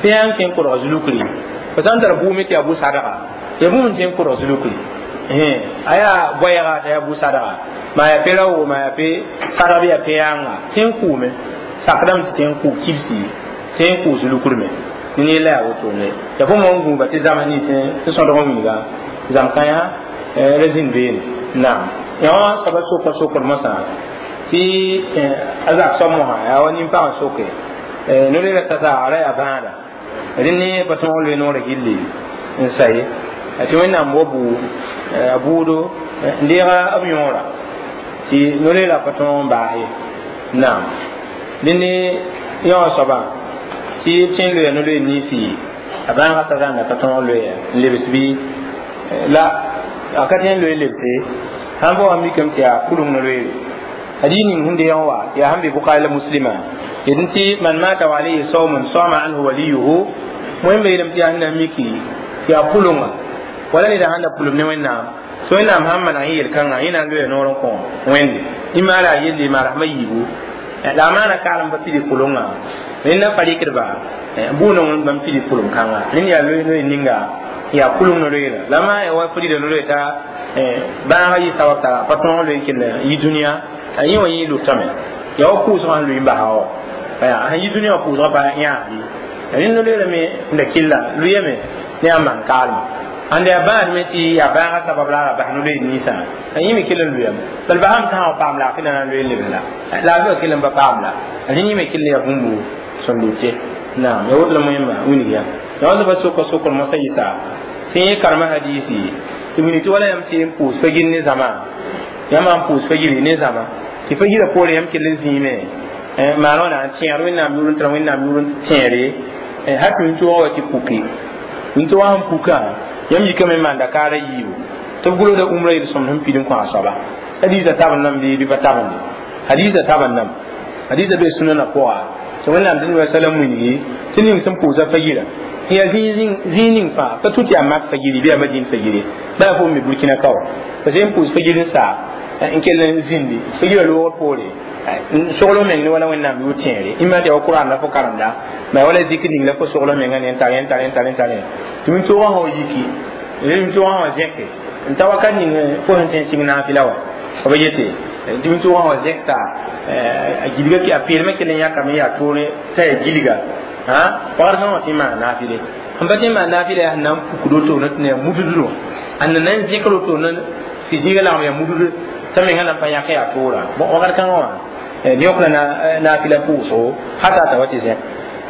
S1: pe-yãng kẽ n kodg zulukre fo sãn tar bʋʋme tɩ yaa bu-sadga ya bũmb n tẽ n kodg zulukre a yaa boɛɛga t'a yaa bu-sadga maa yaa pe ra-wo maa yaa pe sadg bɩ yaa pe-yãnga tẽ n kʋʋme sakdame tɩ tẽ n kʋ kibsi tẽ n kʋ zulukr me ne ne la yaa wotone ya fo mo n gũuba tɩ zãms nins tɩ sõdg n wilga zãm kãyã ra zĩnd beene naam yã soaba soka sokd mosã tɩ a zak soab mosã yaa wa nin-pag n soke no-loeera sasa a ra yaa bãada rẽnd ne pa tõog loe noorã gilli n sa ye tɩ wẽnnaam wa buu a buudo n deega b yõora tɩ no-loeera pa tõog n baas ye naam rẽnd ne yã soaba tɩ b sẽn loeya no-loeer ninsi a bãagã sasa n da ka tõog loeya n lebs bɩ la a ka tõe n loe lebse sãn pa wa mikame tɩ yaa pʋleng no-loeere hadith ning sẽn deeg n wa yaa sẽn be Bukhari la Muslima yetɩ tɩ man mata wa alayhi sawmun sama anhu waliyuhu wẽn yeelame tɩ yaa sẽn na n miki tɩ yaa pʋlenga wala neda sãn da pʋlem ne wẽnnaam tɩ wẽnnaam sãn maneg yẽ yel-kãngã yẽ na n loeya noor n kõ wẽnde y maara a yelle maara sẽma yiibu la a maana kaalem pa pidi pʋlenga rẽnd na pa rɩkdba bʋʋ bãmb pidi pʋlem kãnga rẽnd yaa loe ninga yaa pʋleng no-loeera la maa ya wa fo rɩda no-loe t'a bãagã yɩ sabab t'a pa tõog loe n kell yi dũniyã yẽ wã yẽ lʋtame yaa wa pʋʋsgã sẽn lʋɩ n basa wa sẽn yi dũniyã wã pʋʋsgã pa yãasdi rẽnd no-loeera me n da kɩlla lʋyame ne a maan kaalme ãnda yaa bãad me tɩ yaa bãagã sabab la a bas no-loeer ninsã yẽ me kell n lʋyame bal basame sã n wa paam laafɩ na n loe n lebs la laafɩ wã kell n pa paam la rẽnd yẽ me kell yaa bũmbu sẽn lʋte naam ya woto la moẽmba wilg ya ya wa soaba soka sokr mosã yɩsa tɩ yẽ karema hadiisi tɩ wilg tɩ wala yãmb sɩ n pʋʋs fa-gir ne zãma yãmb n pʋʋs fa-giri ne zãma tɩ fa-girã poore yãmb kell n zĩime maan wã na n tẽegr wẽnnaam yʋʋr n tara wẽnnaam yʋʋr n tẽere hal tɩ wĩntoogã wa tɩ puki wĩntoogã sẽn pukã yãmb yikame n maanda kaara yiibu tɩ b gʋlgda umrã yel-sõmd sẽn pid n kõ a soaba hadiisã tabend nam bɩ pa tabende hadiisã tabend nam hadiisã bee sũnana pʋga tɩ wẽnnaam tɩ neb salam wilgi tɩ ning sẽn pʋʋsa fa-girã yaa zĩig ning fãa pa tũ tɩ yaa mak fa-giri bɩ yaa madin fa-giri bala fo me burkina ka wa parce que n pʋʋs fa-gir n saa n kell n zĩndi fa-girã loogr poore sogl meng ne wala wẽnnaam yʋʋr tẽere ima tɩ ya wa qur'an la fo karemda ma wala zikr ning la fo sogl menga ne n tar n tar n tar n tar tɩ wĩntoogã sã wa yiki wĩntoogã sã wa zẽke n ta wakat ning fo sẽn tõe n sɩng naafɩla wa b yete tɩ wĩntoogã sã wa zẽk t'a a gilga a peelmã kell n yãkame yaa toore t'a yaa gilga wakat kãngã wã tɩ n maan naafɩle sẽn pa tɩ n maan naafɩla yaa sẽn na n pukd wotone tɩ na yaa mududr wã a na n zẽkr wotone tɩ zĩiga lagem yaa mudud t'a menga na n pa yãk yaa toora wakat kãngã wã yõk la naafɩla pʋʋsgo hata t'a wa tɩ zẽk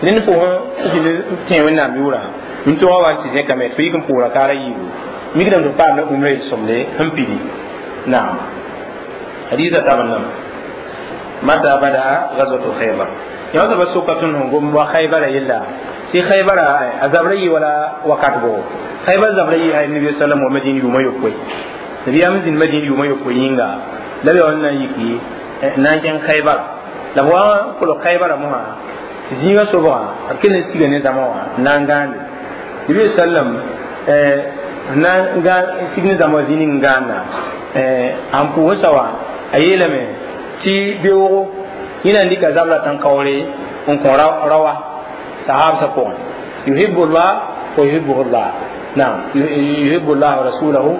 S1: rẽnd fo sẽn tẽ wẽnnaam yʋʋrã wĩntoogã wa tɩ zẽkame tɩ fo yik n pʋʋra kaara yiibu mikdame tɩ paam la umrã yel-sõmde sẽn pidi naam hadiisã tabend name mata bada gazwatu khaybar yã soaba soka tõnd sẽn gom wa khaybara yella tɩ khaybara a zabra yɩ wala wakat bʋgo khaybar zabra yɩ ay nabi sallam wa madin yʋʋma yopoe nabiyaam zĩnd madin yʋʋma yopoe yĩnga la b yaa n na n yiki n na n kẽng khaybar la b wa kolg khaybara mosã tɩ zĩigã sobgã b kell n siga ne zãma wã n na n gãande nabi sallam n na n sig ne zãma wã zĩ ning n gãanda n pʋʋsã wã a yeelame tɩ beoogo yẽ na n dɩka zabra tãn-kaoore n kõ rawa sahabsã pʋgẽ yuhibbu llah wa yuhibbuhu llah naam yuhibbu llah wa rasulahu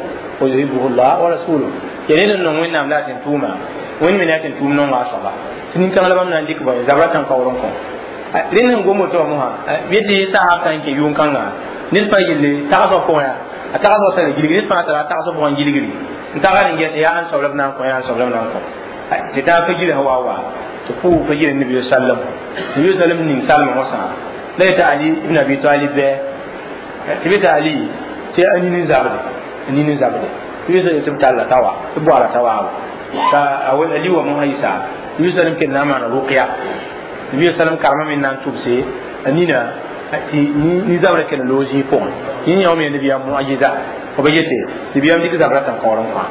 S1: wa yuhibbuhu llah wa rasuluhu yaa ned n nong wẽnnaam la a tẽn tʋʋma wẽnd me ne a tẽn tʋʋm nonga a soaba tɩ nin-kãng la bãmb na n dɩk bõe zabra tãn-kaoor n kõ rẽnd sẽn gom woto wã mosã bɩ tɩ sahab sã n kẽ yʋʋn-kãnga ned fãa yelle tagsg pʋgẽ yaa a tagsg tara gilgri ned fãa tara a tagsg pʋgẽ gilgri n tagd n get yaa ãn soab la b na n kõ yaa ãn soab la b na n kõ tɩ taa fa gilsã wa wa tɩ pʋʋg fa gil nabi sallam nabi sallam ning salmã mosã la yetɩ ali ibn abi talib bɩ tɩ bɩ tɩ ali tɩ a nin n zabde a nin n zabde Nabi sallam talla tawa tɩ boaala tawaabo t'a a li wa mosã yisa Nabi sallam kell na n maana ruqya Nabi sallam karema me na n tʋbse a nina tɩ nin-zabrã kell n loog zĩig pʋgẽ yẽ yão me nabiyaam muajiza b yete nabiyaam dɩk zabra tãn-kaoor n kõ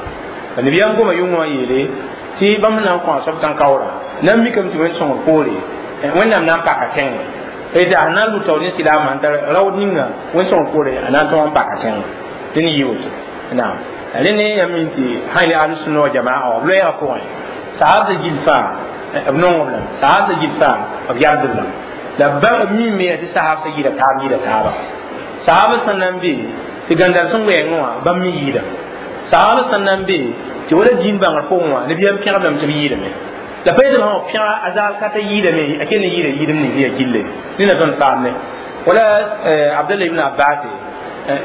S1: nabiyaam goma yʋngã wã yeele tɩ bãmb na n kõ a soab tãn-kaoorã na n mikame tɩ wẽn-sõngr poore wẽnnaam na n paka tẽngã tɩ a na n lʋta ne silaamã n tar raood ninga wẽn-sõngr poore a na n tõog n paka tẽngã dẽn yɩ woto naam rẽnd ne yãmb min tɩ sã ne ahl-sunna wa jamaa wã b loɛɛgã pʋgẽ sahabsã gill fãa b nongb lame sahabsã gill fãa b yabdb lame la b mime tɩ sahabsã yɩɩda taab yɩɩda taaba sahaba sẽn na n be tɩ gãndar sẽn wɛɛngẽ wã bãmb me yɩɩda sahaba sẽn na n be tɩ wala dĩin bãngr pʋgẽ wã nabiyaam pẽgb lame tɩ b yɩɩdame la pa yetɩ sã pẽga a zaal ka t'a yɩɩdame a kell n yɩɩda yɩɩdem ning yaa gille nina tõnd paamne wala abdallah ibn abbas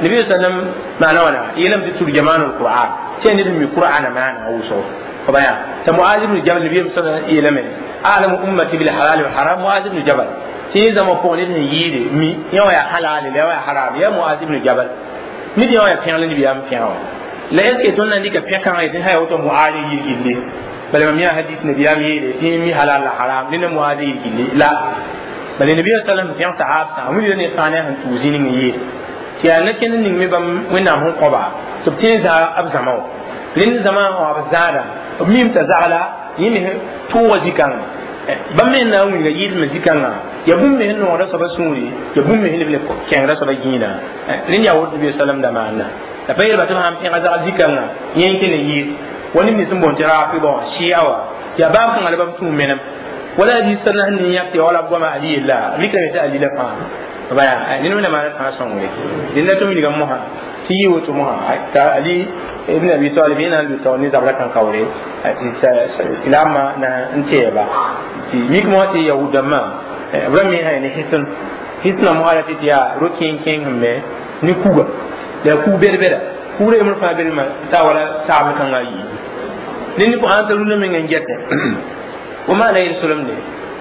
S1: nabi sallam maana wãna yeelame tɩ turjamaan alquran tɩ yaa ned n mi qur'ana maana wʋsgo f baya t'a muaz ibn jabal nabiyaam sallam yeelame a'lamu ummati bil halal wal haram muaz ibn jabal tɩ yẽ zãma pʋgẽ ned sẽn yɩɩde mi yẽ wã yaa halal la yã wã yaa haram yaa muaz ibn jabal ned yã wã yaa pẽg la nabiyaam pẽga wã la est ce que tõnd na n dɩka pẽ-kãngã yetɩ sã ya woto muaz n yɩɩd gilli bala mam yã hadith nabiyaam yeele tɩ mi halal la haram ned na muaz yɩɩd gilli la bala nabiya sallam pẽg sahaab sã wilda ne fãa ne sẽn tʋʋg zĩ ning n yeel tɩ yaa na kẽnd ning me bãmb wẽnnaam sẽn kõba tɩ b tẽ n zaa b zãma wã rẽnd zãma wã b zãada b mim t'a zagla yẽ me tʋʋga zĩ-kãngã bãmb me n na n wilga yɩɩdmã zĩ-kãngã ya bũmb me sẽn noogda soaba sũuri ya bũmb me sẽn leb le kẽngda soaba gĩinã rẽnd yaa woto nabi sallam da maanda la pa yeelba tɩ b sãn pẽga zag zĩ-kãngã yẽ n kell n yɩɩd wa neb nins n boond tɩ rafida wã shia wã yaa baab kãngã la bãmb tũ menem wala hadis sã sẽn ne yãk tɩ wala b goama ali yella b rɩkame tɩ ali la fãa baya ned wẽnnaam maana fãa sõngre dẽnda tɩ wilgã mosã tɩ yɩ woto mosã t'a ali ibn abi talib yẽ na n lʋ ne zabra tãn-kaoore tɩ silaamã na n tɛɛba tɩ mik mosã tɩ yahud-dãmbã b ra me sã ne hisn hisnã mosã ra tɩ tɩ yaa ro-kẽeng-kẽeng sẽn me ne kuga la yaa kug bɛd-bɛda kugrã yembr fãa belma t'a wala taabl kãngã yi ned ne sãn t'a rũndã meng n gɛtẽ fo maana yel solemde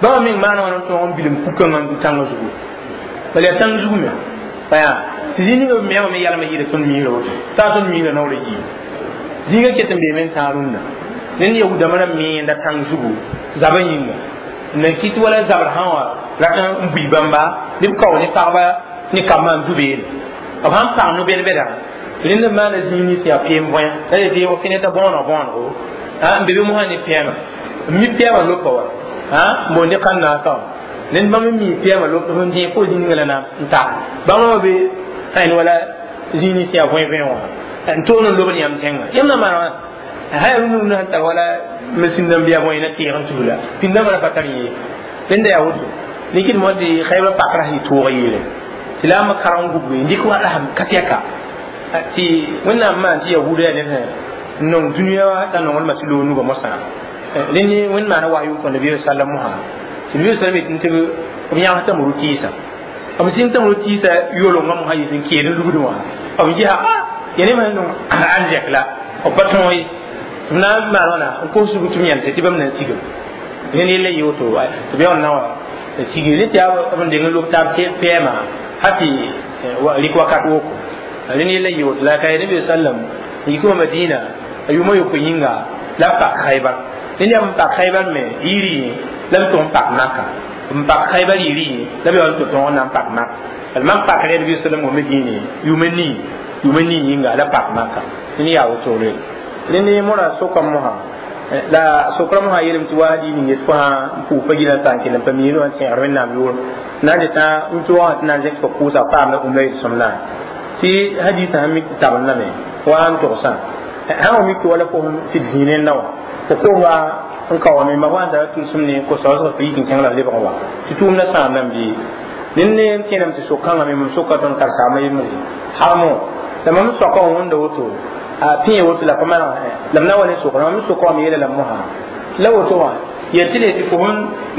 S1: bãmba meng maana wãna n tõog n bilem kug-kãngã n du tãngã zugu bala yaa tãng zugu me baya tɩ zĩ ninga b meama me yalma yɩɩda tõnd miisra woto t'a tõnd miisra naoora yii zĩigã ket n beeme n tãag rũndã ned yahudãmba ra meenda tãng zugu zabã yĩnga n na kɩt wala zabr sã wã rat n bui bãmba ne b kao ne pagba ne kambã n du beene b sãn pag no-bɛd-bɛda rẽnd n maana zĩig nins yaa peem võẽ la yetɩ f ne t'a bõoneg bõonego n be be mosã ne pɛɛma n mi pɛɛmã lopa wa n boond kãn-naasã wã ned bãmb n mi pɛɛmã lop sẽn dẽ fo zĩ ninga la na n ta bãmb wã be ãn wala zĩig nins yaa võe võe wã n toog n lobd yãmb tẽngã yãmb na maana wã sã yaa rũnd sẽn tar wala masin dãmb yaa võe na teeg n tusla pĩndãmbã ra pa tar yẽ rẽnda yaa woto nikd mo tɩ xaybra pakra sã yɩ tʋʋg yeele tɩ la m kareng gubge n dɩk wa rasem ka tɛka tɩ wẽnnaam maan tɩ yahuda yaa ned n nong dũniyã wã t'a nonglmã tɩ loog nugã mosã rẽnd wẽnd maana wahyu n kõ nabiya sallam mosã tɩ nabiya sallam yetɩ tɩ b yãgs tɩ m ro-tɩɩsã b sẽn tɩ m ro-tɩɩsã yolengã mosã yɩ sẽn keed n lugd wã b gesa ya ne sẽn nong arzɛk la b pa tõog ye tɩ b na n maan wãna n kos sug tɩ b yãmse tɩ bãmb na n sigem rẽnd yella yɩ woto tɩ b yaool na wa sigre ne tɩ yaa b n deng n lob taab pɛɛma ha tɩ rɩk wakat woko rẽnd yella yɩ woto la ka ya nabi sallam n yik wã madina a yʋʋma yopoe yĩnga la b pak khaybar ned yaa n pak khaybar me yiri yẽ la b tʋg n pak maka n pak khaybar yiri yẽ la b yaool tɩ tõog n na n pak maka bal mak pakr nabi sallam wa medine yʋʋma nii yʋʋma nii yĩnga la pak maka ned yaa wotore rẽnd mora sokam mosã la sokra mosã yeelame tɩ wa dĩig ning yet fo sã n pʋʋs pa gilã t'a n kell n pa miirã wã tẽegr wẽnnaam yʋʋr na n dɩtã n tʋʋgã tɩ na n zẽk fo kʋʋsa paamda ũmla yel-sõmdã tɩ hadisã sẽn mik tɩ tabend lame wa n togsã sã wa mik tɩ wala fo sɩd zĩig rẽndã wã fo kosa n ka wa me ma wa n tara tʋlsem ne ko-saoosg tɩ yik n kẽng la lebg wa tɩ tʋʋmdã sãam bɩ ned ne n kẽname tɩ sok-kãngã me mam soka tõnd karsaamã yembre harmo la mam soaka wã wẽnda woto a pẽ woto la pa maneg la m na wa ne sokra mam soka wã me yeela la mosã la woto wã yel tɩ le tɩ fo n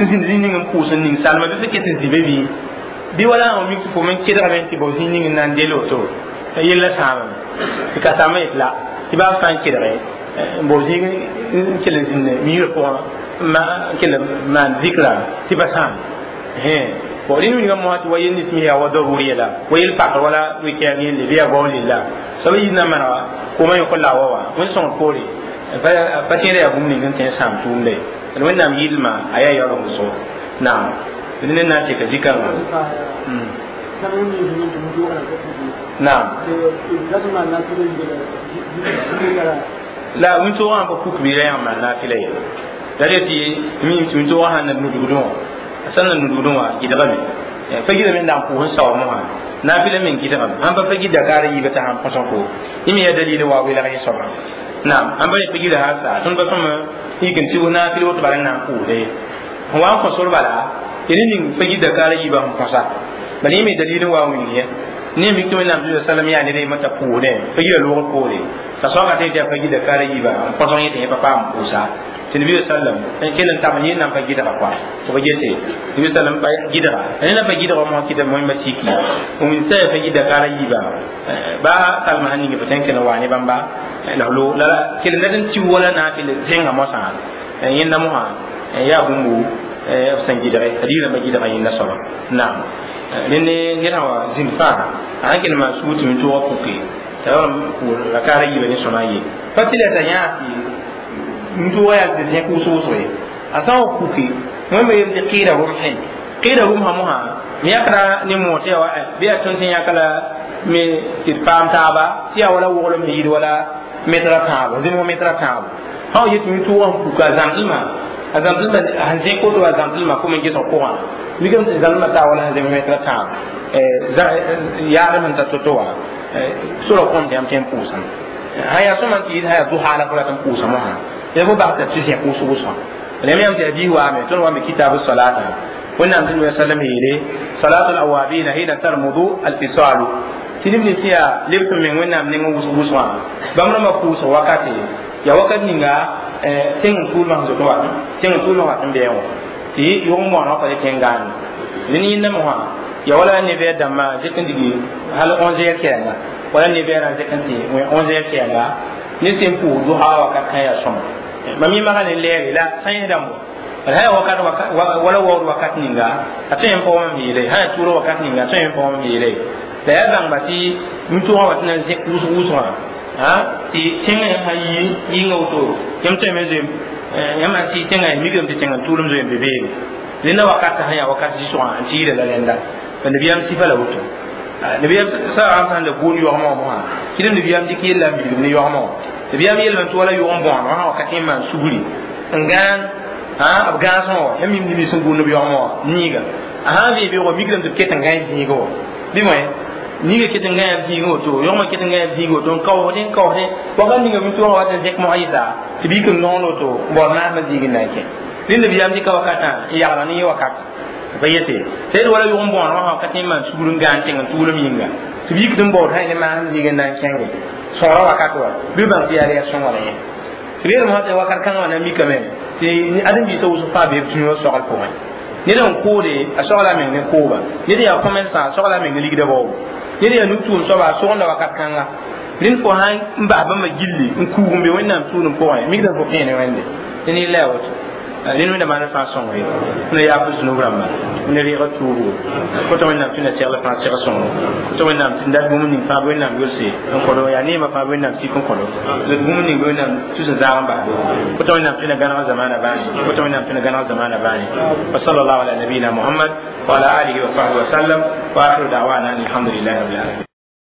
S1: zĩnd zĩig ning n pʋʋs n ning salma bɩ fo ket n zĩ be bɩ bɩ wala n mik tɩ fo me kedgame tɩ bao zĩig ning n na n del woto yella sãamame tɩ ka saamã yet la tɩ baa sã n kedge n bao zĩig n kell n zĩnd miirã pʋgã n kell n maan zikra tɩ pa sãam Bon rẽnd wilgã mosã tɩ wa yel nins me yaa wa darur yɛla wa yel pakr wala wɩkɛɛg yelle bɩ yaa bao lella soab yid na n manega koomã yõk n la wa wa wẽnd sõngr poore pa tẽeda yaa bũmb ning n tõe n sãam tʋʋmda ye d wẽnnaam yɩlma a yaa yaoolg wʋsgo naam d ned na n teka zikãngã naam la wĩntoogã pa puk bɩ ra yãmb maan naafɩla ye la re tɩ mim tɩ wĩntoogã sãn na nudgdẽ wã a sãn na nudgdẽ wã gɩdgame fa gɩdame n dag n pʋʋs n saoor mosã naafɩla meng gɩdgame sãn pa fa gɩd dakaar yiibã t'a sãn põs n ko yẽ me yaa dalil wa welg yẽ soabã naam sãn pa pa gɩda sã sa tõnd pa tõm yik n tɩ naafɩl woto bala n na n pʋʋsda ye n wa n kõ sor bala y ning fa gɩd dakaar yiibã sẽn põsa bala yẽ me dalil n wa n wilg ye ne mik tɩ wẽnnaam tɩ salam yaa ned yemã t'a pʋʋsdẽ fa gɩda loogr poore t'a soaka tɩ tɩ fa gɩda kaara yiibã n põsg yẽ tɩ yẽ pa paam pʋʋsa tɩ nabi sallam n kell n tab yẽ nan pa gɩdga kɔa tɩ ba gete nabi sallam pa gɩdga rẽ na pa gɩdga mosã kɩta moẽmba tiki n wĩn sã fa gɩda kaara yiibã ba salma sãn ning fo tõe n kell n waa ne bãmba la lo la kell n dat n tɩ wala naafɩl zẽnga mosã yẽnda mosã yaa bũmbu b sẽn gɩdge a digrãmbã gɩdga yẽnda soaba naam rẽnd ned sã wa zĩnd fãa a sãn kell n maan sugr tɩ wĩntoogã puke t'a la kaara yiibã ne sõma ye pa tɩ la t'a yãag tɩ wĩntoogã yaa tɩ zẽk wʋsg wʋsg ye a sã n wa puke wẽmba yel tɩ qɩɩda rʋmsẽ qɩɩda rʋmsã mosã yãkra ne moor tɩ yaa wa bɩ yaa tõnd sẽn yãka la me tɩ d paam taaba tɩ yaa wala woglem sẽn yɩɩd wala metra tãabo zĩmg metra tãabo sã wa yet wĩntoogã sẽn puka a zãmsdmã a zãmsdmã sẽn zẽk woto a zãmsdmã kom n gesg pʋgã mikame tɩ zãmsdmã taa wala sẽn zẽm metra tãabo yaadem sẽn ta to-to wã sora kõm tɩ yãmb tõe n pʋʋsame sã yaa sõma tɩ yɩɩd sã yaa dʋha la fo rat n pʋʋsa mosã ya fo bas t'a tɩ zẽk wʋsg wʋsgã rẽm yãmb tɩ hadiis waame tõnd wa me kitaab salata wẽnnaam tɩ nabi sallam yeele salatu alawabina hina tarmudu alfisalu tɩ neb nins yaa leb tɩ meng wẽnnaam neng wʋsg wʋsgã bãmb rãmbã pʋʋsg wakate yaa wakat ninga tẽng n tuulmã sẽn zoto wa tẽng n tuulmã wat n bɩ wã tɩ yʋg n bõonã pa le tẽn gaane rẽnd yẽnda mosã ya wala ne bɛ dãmbã zẽk n digi hal onze heures kɛɛnga wala ne bɛrã zẽk n tɩ onze heures kɛɛnga ne sẽn pʋʋs dʋha wakat kã yaa sõma mam yẽ maga ne lɛɛre la sã yẽsdãmb wã sã yaa wakat wala waood wakat ninga a tõe n pʋgã mam yeele sã yaa tʋʋra wakat ninga a tõe n pʋgã mam yeele la yaa bãngba tɩ wĩntoogã wa tɩ na n zẽk wʋsg wʋsgã tɩ tẽngã sã yi yɩnga woto yãmb tõe me zoe yãmb sãn sɩɩ tẽngã mikame tɩ tẽng n tʋʋlem zoe n be beene rẽnda wakat sã yaa wakat zɩsgã n tɩ yɩɩda la rẽnda nabiyaam sifa la woto nabiyaam sa sãn la gʋʋn yogmã wã mosã kɩdem nabiyaam dɩk yella n bilgem ne yogmã wã nabiyaam yeelame tɩ wala yʋg n bõoneg sã wakat n maan sugri n gãan b gãasẽ wã yãmb mim neb sẽn gũud b yogmã wã niiga a sã n vɩ beoogã mikrame tɩ b ket n gãe zĩigã wã bɩ moe niiga ket n gãe b zĩigã woto yogmã ket n gãe b zĩigã woto n kaoosdẽ n kaoosdẽ wakat ninga wĩntoogã wat n zẽk mosã yɩsa tɩ b yik n noond woto n baood maasmã zĩig n na n kẽ rẽnd nabiyaam dɩka wakatã n yagla ne yẽ wakat pa yete tɩ d wala yʋg n bõoneg wã ka tẽ n maan sugr n gãan tẽng n tʋʋlem yĩnga tɩ b yikd n baood sã ne maasem zĩig n na n kẽnge sõgra wakat wa bɩ bãng tɩ yaa rɛɛg sõnga la yẽ tɩ b yeelame tɩ wakat kãngã wã na n mikame tɩ ãdem-biisã wʋsg fãa bee b tũnuwã sogl pʋgẽ ned n koode a sogla a meng ne kooba ned yaa commerçant a sogla a meng ne ligda baoobo ned yaa nu-tʋʋm soaba a sogenda wakat kãnga rẽnd fo sã n bas bãmba gilli n kuug n be wẽnnaam tʋʋlem pʋgẽ mikdame fo kẽene wẽnde tɩ ne la woto rẽnd wẽnda maan fãa sõngo ye ne yaa fo zũnub rãmba ne reega tuugo kota wẽnnaam tɩ na segl fãa seg sõngo kota wẽnnaam tɩ dat bũmb ning fãa wẽnnaam yolse n kõdo yaa neemã fãa wẽnnaam sik n kõdo d bũmb ning wẽnnaam tus n zaag n basdo kota wẽnnaam tɩ na gãneg zamaana bãane kota wẽnnaam tɩ na gãneg zamaana bãane wa sallallahu ala nabiyina muhammad wa ala alihi wa sahbihi wa sallam wa akhiru da'wana alhamdulillahi rabbil alamin.